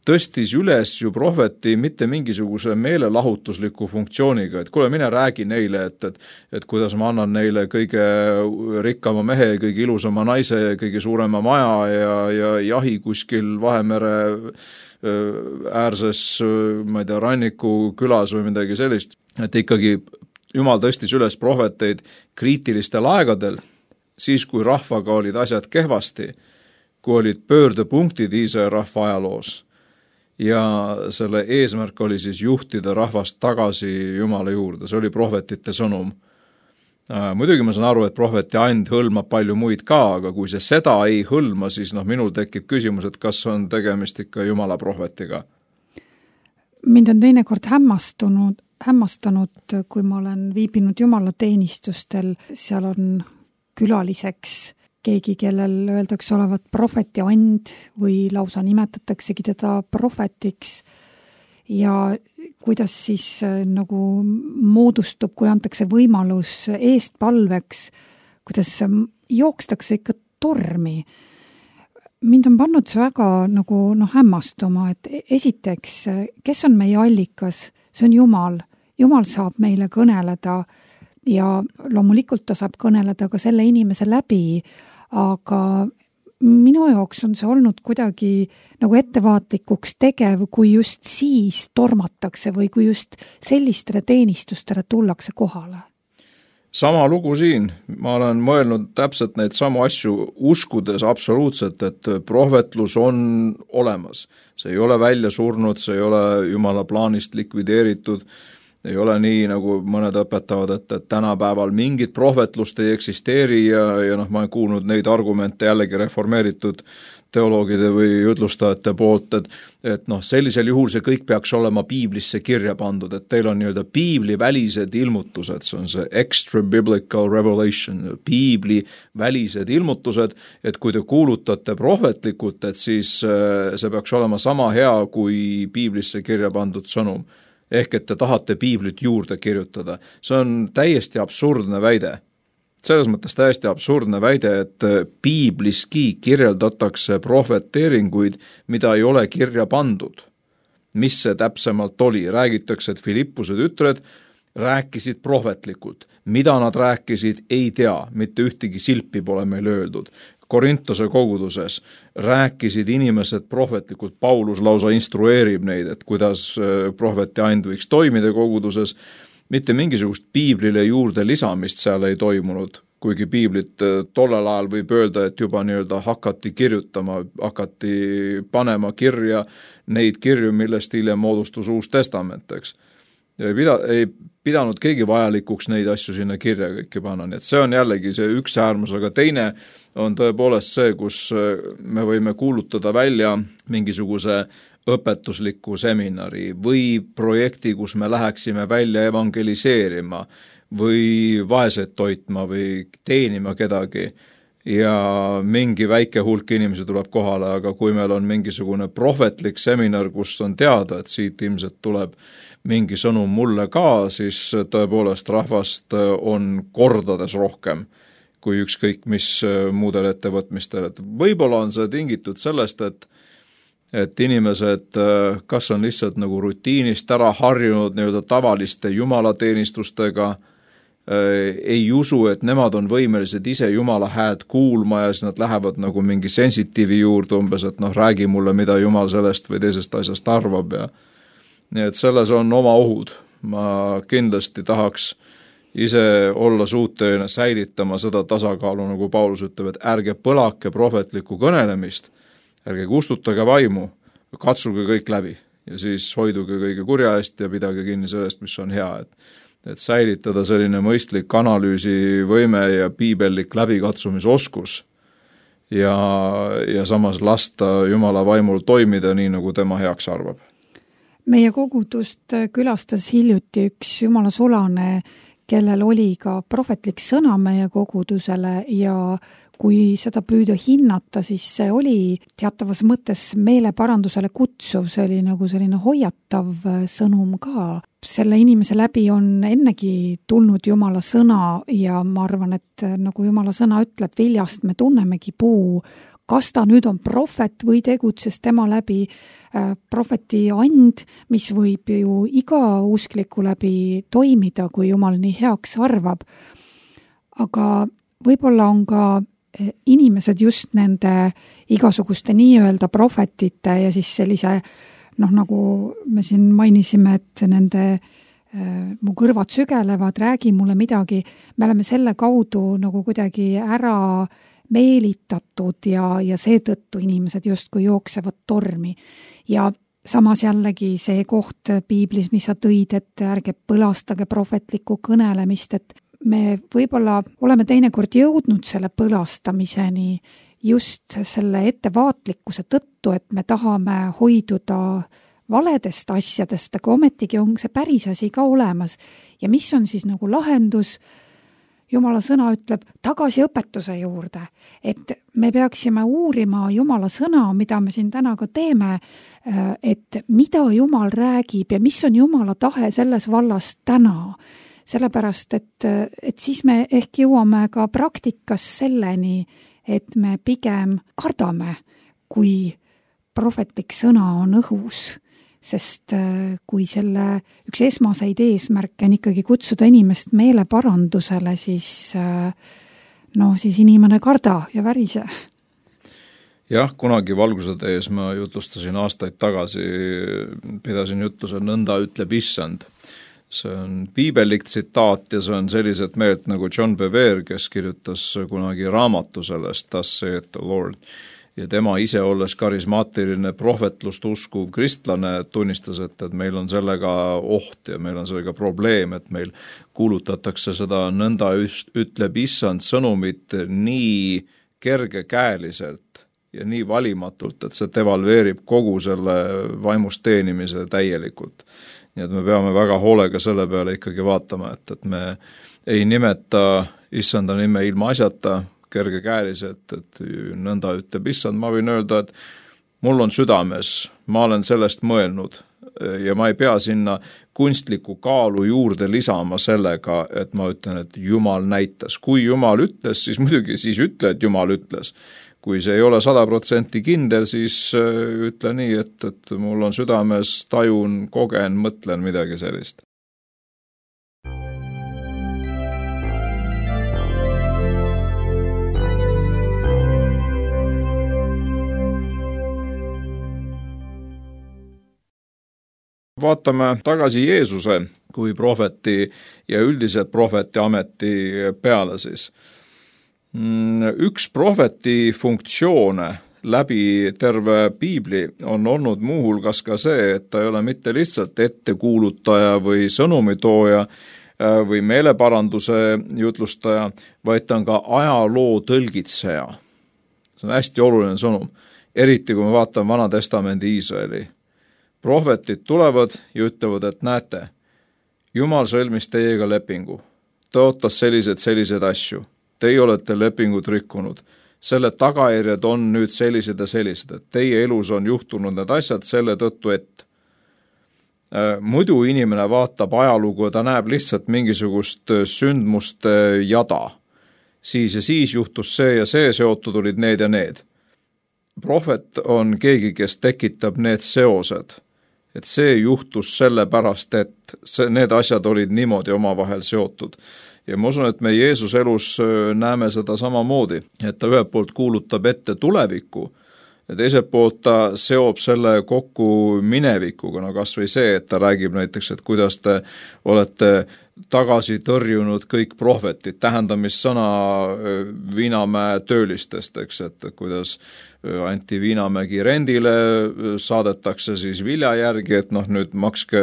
tõstis üles ju prohveti mitte mingisuguse meelelahutusliku funktsiooniga, et kuule, mine räägi neile, et kuidas ma annan neile kõige rikkama mehe, kõige ilusama naise, kõige suurema maja ja jahi kuskil Vahemere äärses, ma ei tea, ranniku külas või midagi sellist. Et ikkagi Jumal tõstis üles prohveteid kriitilistel aegadel, siis kui rahvaga olid asjad kehvasti, kui olid pöördepunktid Iisraeli rahva ajaloos. Ja selle eesmärk oli siis juhtida rahvast tagasi Jumala juurde, see oli prohvetite sõnum. Muidugi ma saan aru, et prohveti and hõlmab palju muid ka, aga kui see seda ei hõlma, siis minul tekib küsimus, et kas on tegemist ikka Jumala prohvetiga. Mind on teinekord hämmastanud, kui ma olen viibinud Jumala teenistustel, seal on külaliseks keegi, kellel öeldakse olevat prohveti and või lausa nimetataksegi teda prohvetiks ja kuidas siis nagu moodustub, kui antakse võimalus eestpalveks, kuidas jookstakse ikka tormi. Mind on pannud see väga nagu hämmastuma, et esiteks, kes on meie allikas, see on Jumal. Jumal saab meile kõneleda ja loomulikult ta saab kõneleda ka selle inimese läbi, aga minu jaoks on see olnud kuidagi nagu ettevaatlikuks tegev, kui just siis tormatakse või kui just sellistele teenistustele tullakse kohale. Sama lugu siin, ma olen mõelnud täpselt neid samu asju uskudes absoluutselt, et prohvetlus on olemas. See ei ole välja surnud, see ei ole Jumala plaanist likvideeritud. Ei ole nii, nagu mõned õpetavad, et tänapäeval mingit prohvetlust ei eksisteeri ja ma olen kuulnud neid argumente jällegi reformeeritud teoloogide või jutlustajate poolt, et sellisel juhul see kõik peaks olema piiblisse kirja pandud, et teil on nii-öelda piiblivälised ilmutused, see on see extra biblical revelation, piibli välised ilmutused, et kui te kuulutate prohvetlikult, et siis see peaks olema sama hea kui piiblisse kirja pandud sõnum. Ehk et te tahate piiblit juurde kirjutada. See on täiesti absurdne väide. Selles mõttes täiesti absurdne väide, et piibliski kirjeldatakse prohveteeringuid, mida ei ole kirja pandud. Mis see täpsemalt oli? Räägitakse, et Filippuse tütred rääkisid prohvetlikult. Mida nad rääkisid, ei tea. Mitte ühtegi silpi pole meil öeldud. Korintose koguduses rääkisid inimesed prohvetlikult, Paulus lausa instrueerib neid, et kuidas prohveti and võiks toimida koguduses, mitte mingisugust piiblile juurde lisamist seal ei toimunud, kuigi piiblit tollel ajal võib öelda, et juba nii-öelda hakati kirjutama, hakati panema kirja neid kirju, millest hiljem moodustus Uus Testament, eks. Ei pidanud keegi vajalikuks neid asju sinna kirja kõiki panna, nii et see on jällegi see üks äärmus, aga teine on tõepoolest see, kus me võime kuulutada välja mingisuguse õpetusliku seminari või projekti, kus me läheksime välja evangeliseerima või vaesed toitma või teenima kedagi ja mingi väike hulk inimesi tuleb kohale, aga kui meil on mingisugune prohvetlik seminar, kus on teada, et siit ilmselt tuleb mingi sõnum mulle ka, siis tõepoolest rahvast on kordades rohkem kui ükskõik mis muudel ettevõtmistel. Et võib-olla on see tingitud sellest, et inimesed kas on lihtsalt nagu rutiinist ära harjunud nii-öelda tavaliste jumalateenistustega, ei usu, et nemad on võimelised ise Jumala häält kuulma ja siis nad lähevad nagu mingi sensitiivi juurde umbes, et räägi mulle, mida Jumal sellest või teisest asjast arvab ja nii et selles on oma ohud. Ma kindlasti tahaks ise olla suuteline säilitama seda tasakaalu, nagu Paulus ütleb, et ärge põlake prohvetlikku kõnelemist, ärge kustutage vaimu, katsuge kõik läbi ja siis hoiduge kõige kurja eest ja pidage kinni sellest, mis on hea. Et säilitada selline mõistlik analüüsivõime ja piibellik läbikatsumisoskus ja samas lasta Jumala vaimul toimida nii, nagu tema heaks arvab. Meie kogudust külastas hiljuti üks jumala sulane, kellel oli ka prohvetlik sõna meie kogudusele ja kui seda püüda hinnata, siis see oli teatavas mõttes meeleparandusele kutsuv, see oli nagu selline hoiatav sõnum ka. Selle inimese läbi on ennegi tulnud Jumala sõna ja ma arvan, et nagu Jumala sõna ütleb, viljast me tunnemegi puu, kas ta nüüd on prohvet või tegutses tema läbi prohveti and, mis võib ju iga uskliku läbi toimida, kui Jumal nii heaks arvab. Aga võib-olla on ka inimesed just nende igasuguste nii-öelda prohvetite ja siis sellise, nagu me siin mainisime, et nende mu kõrvad sügelevad, räägi mulle midagi, me oleme selle kaudu nagu kuidagi ära meelitatud ja seetõttu inimesed justkui jooksevad tormi. Ja samas jällegi see koht piiblis, mis sa tõid, et ärge põlastage prohvetlikku kõnelemist, et me võib-olla oleme teinekord jõudnud selle põlastamiseni just selle ettevaatlikkuse tõttu, et me tahame hoiduda valedest asjadest, aga ometigi on see päris asi ka olemas. Ja mis on siis nagu lahendus? Jumala sõna ütleb tagasi õpetuse juurde, et me peaksime uurima Jumala sõna, mida me siin täna ka teeme, et mida Jumal räägib ja mis on Jumala tahe selles vallas täna. Sellepärast, et siis me ehk jõuame ka praktikas selleni, et me pigem kardame, kui prohvetlik sõna on õhus. Sest kui selle üks esmaseid eesmärke on ikkagi kutsuda inimest meeleparandusele, siis inimene karda ja värise. Jah, kunagi valguse tees ma jutlustasin aastaid tagasi, pidasin jutluse nõnda ütleb issand. See on piibellik tsitaat ja see on sellised meelt nagu John Bevere, kes kirjutas kunagi raamatu sellest, Thus saith the Lord. ja tema ise olles karismaatiline prohvetlust uskuv kristlane tunnistas, et meil on sellega oht ja meil on sellega probleem, et meil kuulutatakse seda nõnda ütleb issand sõnumit nii kergekäeliselt ja nii valimatult, et see devalveerib kogu selle vaimust teenimise täielikult. Nii et me peame väga hoolega selle peale ikkagi vaatama, et me ei nimeta issanda nime ilma asjata kergekäeliselt, et nõnda ütleb issand. Ma võin öelda, et mul on südames, ma olen sellest mõelnud ja ma ei pea sinna kunstliku kaalu juurde lisama sellega, et ma ütlen, et Jumal näitas. Kui Jumal ütles, siis muidugi siis ütle, et Jumal ütles. Kui see ei ole 100% kindel, siis ütle nii, et mul on südames, tajun, kogen, mõtlen midagi sellist. Vaatame tagasi Jeesuse kui prohveti ja üldiselt prohveti ameti peale siis. Üks prohveti funktsioone läbi terve piibli on olnud muuhulgas ka see, et ta ei ole mitte lihtsalt ettekuulutaja või sõnumitooja või meeleparanduse jutlustaja, vaid ta on ka ajaloo tõlgitseja. See on hästi oluline sõnum, eriti kui me vaatame Vana Testamendi Iisraeli. Prohvetid tulevad ja ütlevad, et näete, Jumal sõlmis teiega lepingu, ta ootas sellised asju. Teie olete lepingut rikkunud. Selle tagajärjed on nüüd sellised ja sellised, et teie elus on juhtunud need asjad selle tõttu, et muidu inimene vaatab ajalugu ja ta näeb lihtsalt mingisugust sündmuste jada. Siis ja siis juhtus see ja see, seotud olid need ja need. Prohvet on keegi, kes tekitab need seosed, et see juhtus sellepärast, et need asjad olid niimoodi omavahel seotud. Ja ma usun, et me Jeesus elus näeme seda samamoodi, et ta ühelt poolt kuulutab ette tulevikku ja teiselt poolt ta seob selle kokku minevikuga, no kas või see, et ta räägib näiteks, et kuidas te olete tagasi tõrjunud kõik prohvetid, tähendamissõna Viinamäe töölistest, eks, et kuidas anti Viinamägi rendile, saadetakse siis vilja järgi, et nüüd makske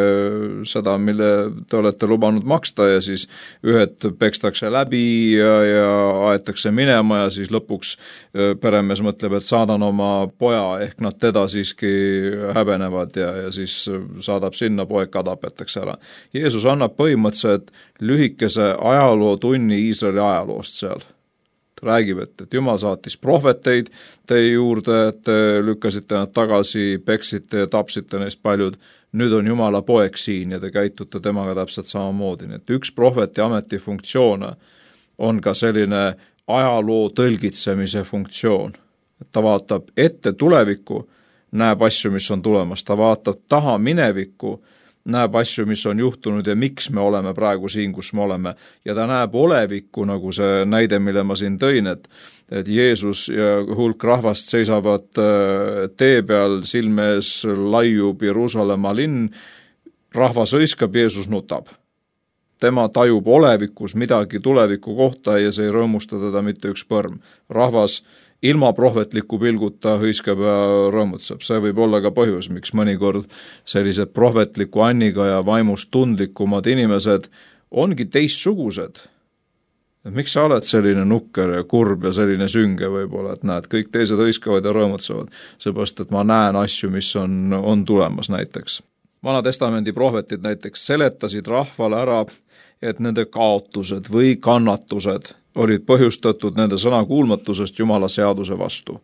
seda, mille te olete lubanud maksta ja siis ühed pekstakse läbi ja aetakse minema ja siis lõpuks peremees mõtleb, et saadan oma poja, ehk nad teda siiski häbenevad ja siis saadab sinna, poeg ka tapetakse ära. Jeesus annab põhimõtteliselt lühikese ajalootunni Iisraeli ajaloost seal. Ta räägib, et Jumal saatis prohveteid teie juurde, et lükkasite nad tagasi, peksite ja tapsite neist paljud. Nüüd on Jumala poeg siin ja te käitute temaga täpselt samamoodi. Et üks prohveti ameti funktsioone on ka selline ajaloo tõlgitsemise funktsioon. Ta vaatab ette tulevikku, näeb asju, mis on tulemas. Ta vaatab taha minevikku, näeb asju, mis on juhtunud ja miks me oleme praegu siin, kus me oleme. Ja ta näeb olevikku, nagu see näide, mille ma siin tõin, et Jeesus ja hulk rahvast seisavad tee peal, silme ees laiub Jeruusalemma linn, rahvas hõiskab, Jeesus nutab. Tema tajub olevikus midagi tuleviku kohta ja see ei rõõmusta teda mitte üks põrm. Rahvas ilma prohvetliku pilguta hõiskab ja rõõmutseb. See võib olla ka põhjus, miks mõnikord sellised prohvetliku anniga ja vaimust tundlikumad inimesed ongi teistsugused. Et miks sa oled selline nukker ja kurb ja selline sünge võib-olla, et näed, kõik teised hõiskavad ja rõõmutsevad, seepärast, et ma näen asju, mis on tulemas näiteks. Vana Testamendi prohvetid näiteks seletasid rahvale ära, et nende kaotused või kannatused olid põhjustatud nende sõnakuulmatusest Jumala seaduse vastu.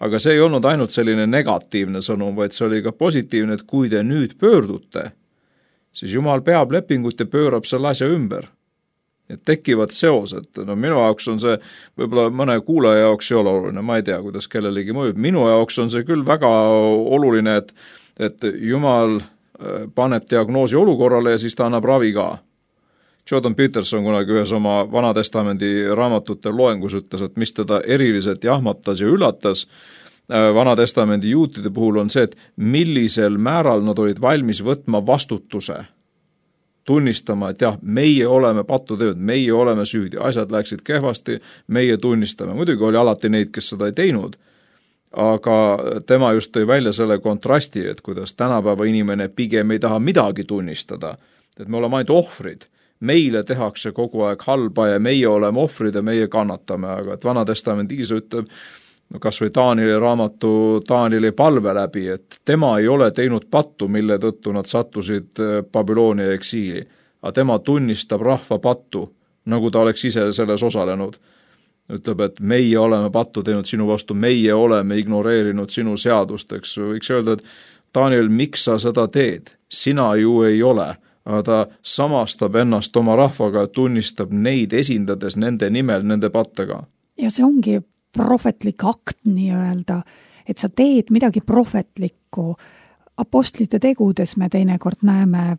Aga see ei olnud ainult selline negatiivne sõnum, vaid see oli ka positiivne, et kui te nüüd pöördute, siis Jumal peab lepingut ja pöörab selle asja ümber. Et tekivad seosed. Minu jaoks on see, võib-olla mõne kuulaja jaoks ei ole oluline, ma ei tea, kuidas kellelegi mõjub. Minu jaoks on see küll väga oluline, et Jumal paneb diagnoosi olukorrale ja siis ta annab ravi ka. Jordan Peterson kunagi ühes oma Vana Testamendi raamatute loengus ütles, et mis teda eriliselt jahmatas ja üllatas Vana Testamendi juutide puhul on see, et millisel määral nad olid valmis võtma vastutuse, tunnistama, et jah, meie oleme patuteod, meie oleme süüdi, asjad läksid kehvasti, meie tunnistame. Muidugi oli alati neid, kes seda ei teinud, aga tema just tõi välja selle kontrasti, et kuidas tänapäeva inimene pigem ei taha midagi tunnistada, et me oleme ainult ohvrid. Meile tehakse kogu aeg halba ja meie oleme ohvrid ja meie kannatame, aga et Vana Testament Iisa ütleb, kas või Taanieli raamatu Taanieli palve läbi, et tema ei ole teinud pattu, mille tõttu nad sattusid Babyloonia eksiili, aga tema tunnistab rahva pattu, nagu ta oleks ise selles osalenud. Ütleb, et meie oleme pattu teinud sinu vastu, meie oleme ignoreerinud sinu seadust, eks võiks öelda, et Taaniel, miks sa seda teed? Sina ju ei ole. Aga ta samastab ennast oma rahvaga ja tunnistab neid esindades nende nimel, nende pattega. Ja see ongi prohvetlik akt nii-öelda, et sa teed midagi prohvetlikku. Apostlite tegudes me teinekord näeme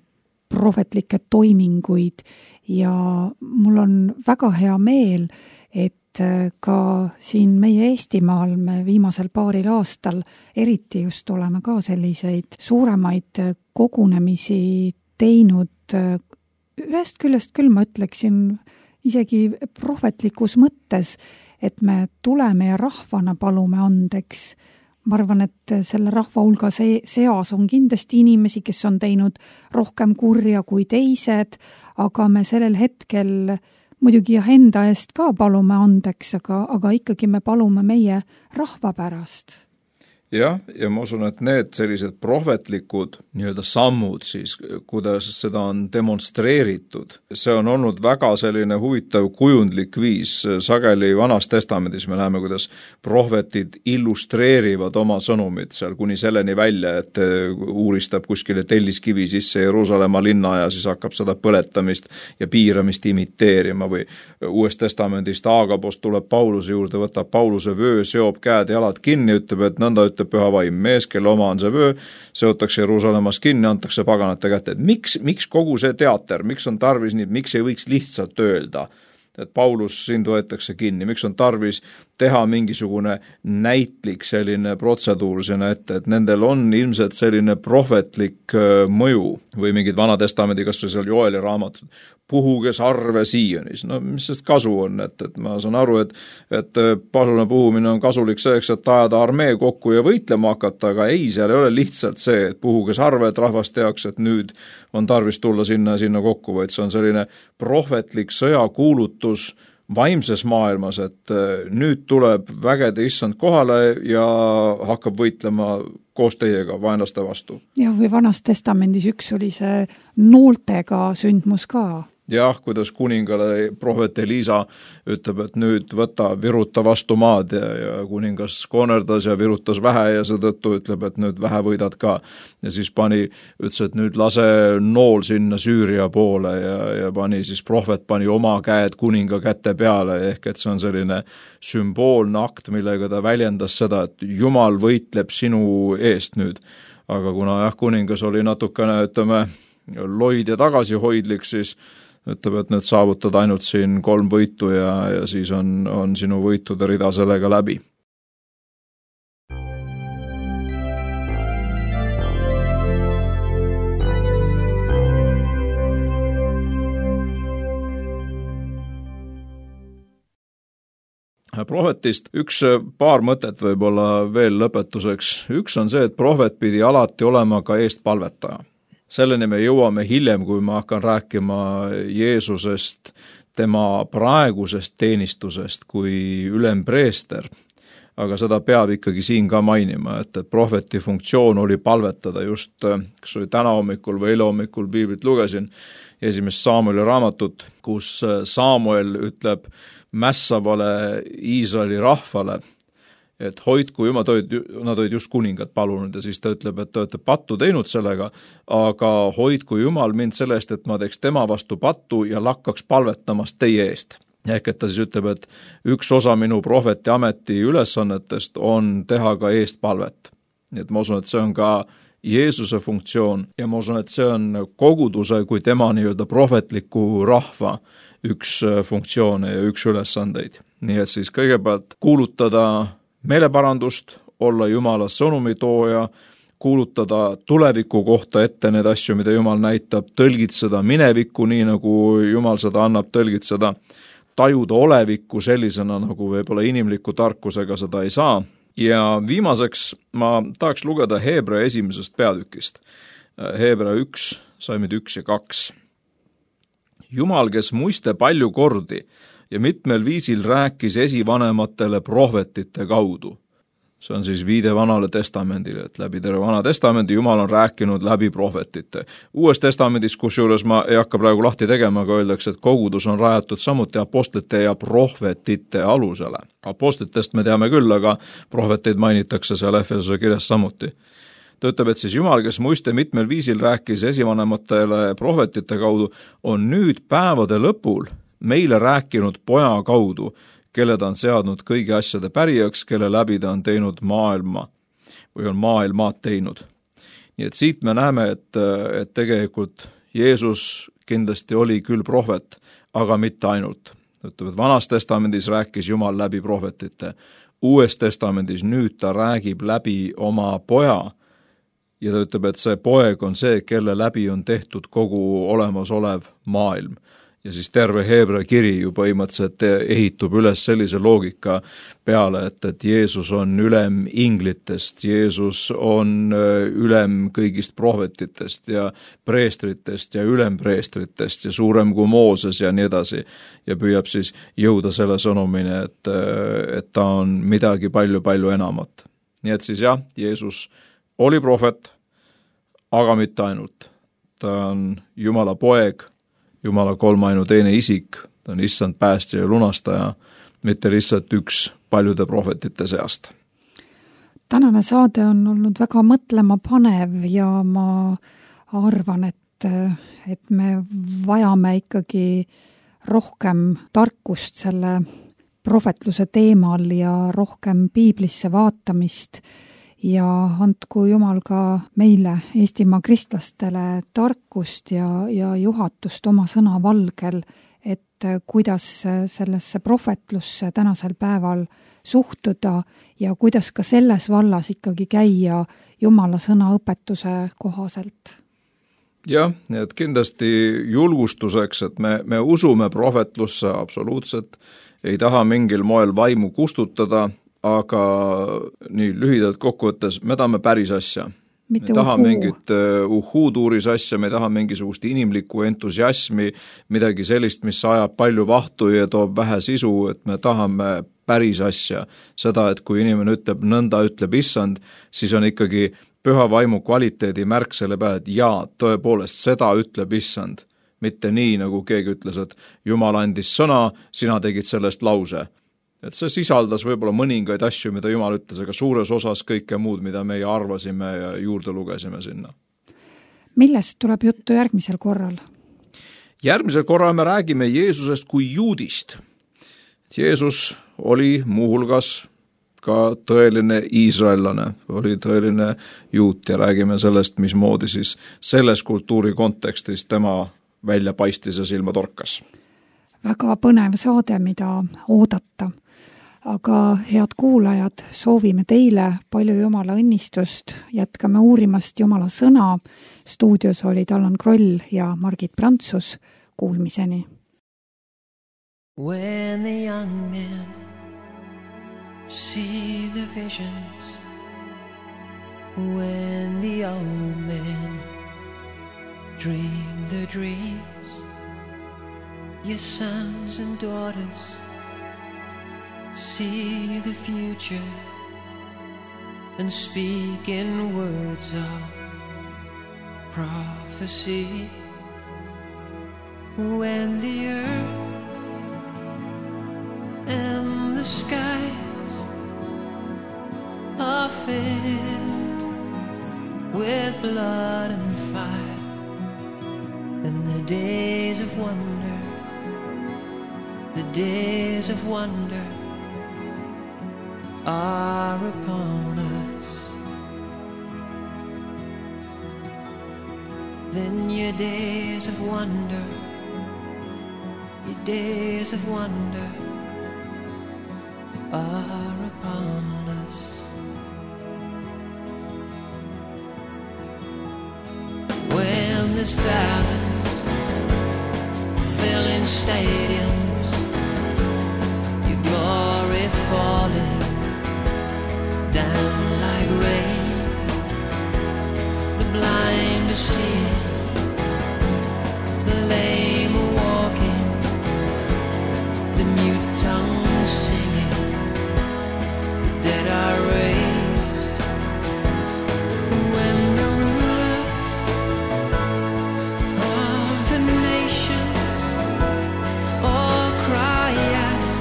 prohvetlikke toiminguid ja mul on väga hea meel, et ka siin meie Eestimaal me viimasel paaril aastal eriti just oleme ka selliseid suuremaid kogunemisi teinud. Ühest küljest küll ma ütleksin isegi prohvetlikus mõttes, et me tuleme ja rahvana palume andeks. Ma arvan, et selle rahva hulga seas on kindlasti inimesi, kes on teinud rohkem kurja kui teised, aga me sellel hetkel muidugi enda eest ka palume andeks, aga ikkagi me palume meie rahva pärast. Jah, ja ma usun, et need sellised prohvetlikud nii-öelda sammud siis, kuidas seda on demonstreeritud, see on olnud väga selline huvitav kujundlik viis. Sageli Vanas Testamendis me näeme, kuidas prohvetid illustreerivad oma sõnumid seal kuni selleni välja, et uuristab kuskile telliskivi sisse Jeruusalemma linna ja siis hakkab seda põletamist ja piiramist imiteerima või Uuest Testamendist Aagapost tuleb Pauluse juurde, võtab Pauluse vöö, seob käed ja jalad kinni, ütleb, et nõnda ütleb püha vaim, mees, kelle oma on see vöö, seotakse Jeruusalemmas kinni, antakse paganate kätte. Miks kogu see teater, miks on tarvis nii, miks ei võiks lihtsalt öelda, et Paulus sind võetakse kinni, miks on tarvis teha mingisugune näitlik selline protseduur sinna ette, et nendel on ilmselt selline prohvetlik mõju või mingid Vana Testamendi, kas või seal Joeli raamatud, puhuge sarve Siianis. No mis sest kasu on, et ma saan aru, et pasuna puhumine on kasulik selleks, et ajada armee kokku ja võitlema hakata, aga ei, seal ei ole lihtsalt see, et puhuge sarve, et rahvas teaks, et nüüd on tarvis tulla sinna kokku, vaid see on selline prohvetlik sõjakuulutus vaimses maailmas, et nüüd tuleb vägede issand kohale ja hakkab võitlema koos teiega vaenlaste vastu. Ja või Vanas Testamendis üks oli see nooltega sündmus ka. Jah, kuidas kuningale prohvet Elisa ütleb, et nüüd viruta vastu maad ja kuningas konerdas ja virutas vähe ja seetõttu ütleb, et nüüd vähe võidad ka. Ja siis ütles, et nüüd lase nool sinna Süüria poole ja prohvet pani oma käed kuninga käte peale, ehk et see on selline sümboolne akt, millega ta väljendas seda, et Jumal võitleb sinu eest nüüd. Aga kuna kuningas oli natukene, loid ja tagasihoidlik, siis ütleb, et nüüd saavutad ainult siin 3 võitu ja siis on sinu võitude rida sellega läbi. Prohvetist paar mõtet võib-olla veel lõpetuseks. Üks on see, et prohvet pidi alati olema ka eestpalvetaja. Selleni me jõuame hiljem, kui ma hakkan rääkima Jeesusest, tema praegusest teenistusest kui ülempreester. Aga seda peab ikkagi siin ka mainima, et prohveti funktsioon oli palvetada just, kas oli täna hommikul või eile hommikul piiblit lugesin, 1. Samueli raamatut, kus Samuel ütleb mässavale Iisraeli rahvale, et hoidku jumal, nad olid just kuningad palunud ja siis ta ütleb, et te olete pattu teinud sellega, aga hoidku jumal mind selle eest, et ma teeks tema vastu pattu ja lakkaks palvetamast teie eest. Ehk et ta siis ütleb, et üks osa minu prohveti ameti ülesannetest on teha ka eestpalvet. Nii et ma usun, et see on ka Jeesuse funktsioon ja ma usun, et see on koguduse kui tema nii-öelda prohvetliku rahva üks funktsioone ja üks ülesandeid. Nii et siis kõigepealt kuulutada meeleparandust, olla Jumala sõnumitooja, kuulutada tuleviku kohta ette need asju, mida Jumal näitab, tõlgitseda minevikku nii, nagu Jumal seda annab tõlgitseda, tajuda olevikku sellisena, nagu võib-olla inimliku tarkusega seda ei saa Ja viimaseks ma tahaks lugeda Heebrea 1. peatükist. Heebrea 1, salmid 1 ja 2. Jumal, kes muiste palju kordi ja mitmel viisil rääkis esivanematele prohvetite kaudu. See on siis viide Vanale testamendile, et läbi terve Vana testamendi Jumal on rääkinud läbi prohvetite. Uues testamendis, kusjuures ma ei hakka praegu lahti tegema, aga öeldakse, et kogudus on rajatud samuti apostlite ja prohvetite alusele. Apostlitest me teame küll, aga prohveteid mainitakse seal Efesose kirjas samuti. Ta ütleb, et siis Jumal, kes muiste mitmel viisil rääkis esivanematele prohvetite kaudu, on nüüd päevade lõpul meile rääkinud poja kaudu, kelle ta on seadnud kõigi asjade pärijaks, kelle läbi ta on teinud maailma või on maailmaad teinud. Nii et siit me näeme, et tegelikult Jeesus kindlasti oli küll prohvet, aga mitte ainult. Ütleb, et Vanas testamendis rääkis Jumal läbi prohvetite. Uues testamendis nüüd ta räägib läbi oma poja ja ta ütleb, et see poeg on see, kelle läbi on tehtud kogu olemasolev maailm. Ja siis terve Heebrea kiri ju põhimõtteliselt ehitub üles sellise loogika peale, et Jeesus on ülem inglitest, Jeesus on ülem kõigist prohvetitest ja preestritest ja ülempreestritest ja suurem kui Mooses ja nii edasi. Ja püüab siis jõuda selle sõnumine, et ta on midagi palju enamat. Nii et siis jah, Jeesus oli prohvet, aga mitte ainult. Ta on Jumala poeg, Jumala kolmainu teine isik, ta on issand päästja ja lunastaja, mitte lihtsalt üks paljude prohvetite seast. Tänane saade on olnud väga mõtlema panev ja ma arvan, et me vajame ikkagi rohkem tarkust selle prohvetluse teemal ja rohkem piiblisse vaatamist ja andku Jumal ka meile, Eestimaa kristlastele, tarkust ja juhatust oma sõna valgel, et kuidas sellesse prohvetlusse tänasel päeval suhtuda ja kuidas ka selles vallas ikkagi käia Jumala sõna õpetuse kohaselt. Jah, et kindlasti julgustuseks, et me usume prohvetlusse absoluutselt, ei taha mingil moel vaimu kustutada, aga nii lühidalt kokkuvõttes, me tahame päris asja. Me ei taha mingit uhuutuuris asja, me ei taha mingisugust inimlikku entusiasmi, midagi sellist, mis ajab palju vahtu ja toob vähe sisu, et me tahame päris asja. Seda, et kui inimene ütleb, nõnda ütleb issand, siis on ikkagi püha vaimu kvaliteedi märk selle peale, et jaa, tõepoolest, seda ütleb issand. Mitte nii, nagu keegi ütles, et Jumal andis sõna, sina tegid sellest lause. Et see sisaldas võib-olla mõningaid asju, mida Jumal ütles, aga suures osas kõike muud, mida meie arvasime ja juurde lugesime sinna. Millest tuleb juttu järgmisel korral? Järgmisel korral me räägime Jeesusest kui juudist. Jeesus oli muuhulgas ka tõeline iisraellane, oli tõeline juut ja räägime sellest, mismoodi siis selles kultuuri kontekstis tema välja paistis ja silma torkas. Väga põnev saade, mida oodata. Aga head kuulajad, soovime teile palju Jumala õnnistust, jätkame uurimast Jumala sõna. Stuudios olid Allan Kroll ja Margit Prantsus. Kuulmiseni. When the young men see the visions, when the old men dream the dreams, your sons and daughters see the future and speak in words of prophecy. When the earth and the skies are filled with blood and fire, and the days of wonder, the days of wonder are upon us. Then your days of wonder, your days of wonder are upon us. When there's thousands filling stadiums, your glory falling down like rain. The blind are seeing, the lame are walking, the mute tongues singing, the dead are raised. When the rulers of the nations all cry out,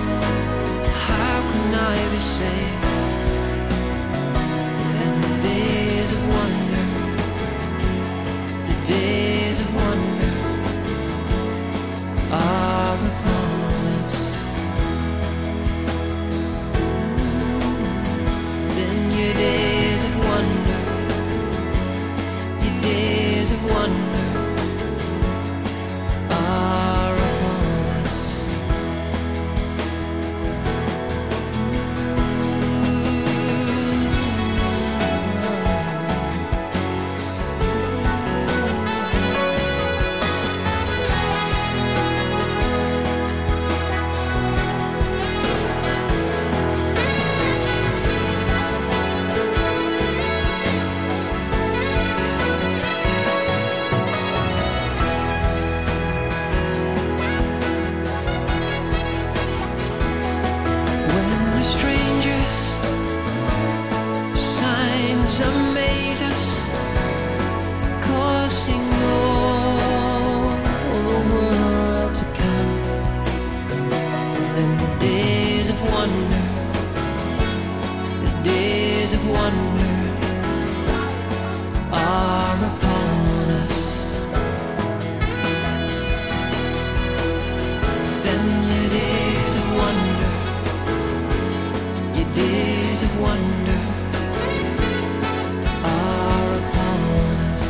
how can I be saved? In the days of wonder, the days of wonder are upon us. Then your days of wonder, your days of wonder are upon us. When the strangers' signs amaze us, causing all the world to come, then the days of wonder, the days of wonder are upon us. Then your days of wonder, your days of wonder are upon us.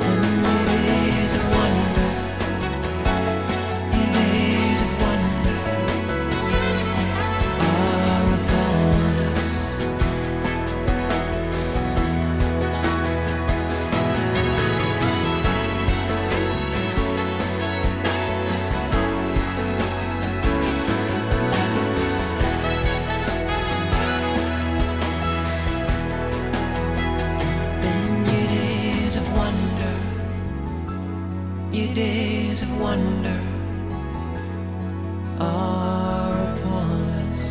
Then your days of wonder, your days of wonder are upon us. Then your days of wonder, your days of wonder are upon us.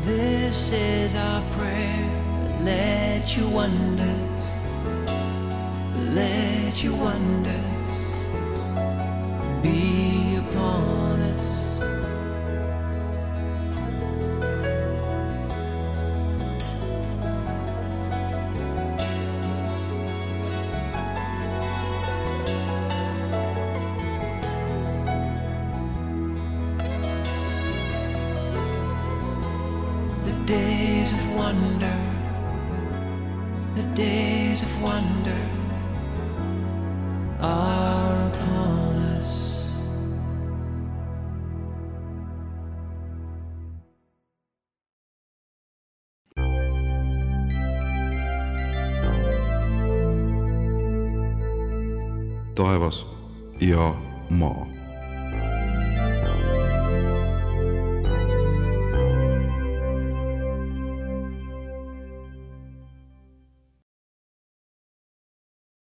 This is our prayer. Let your wonders, let your wonders be upon us. The days of wonder, the days of wonder are upon us. taevas ja maa.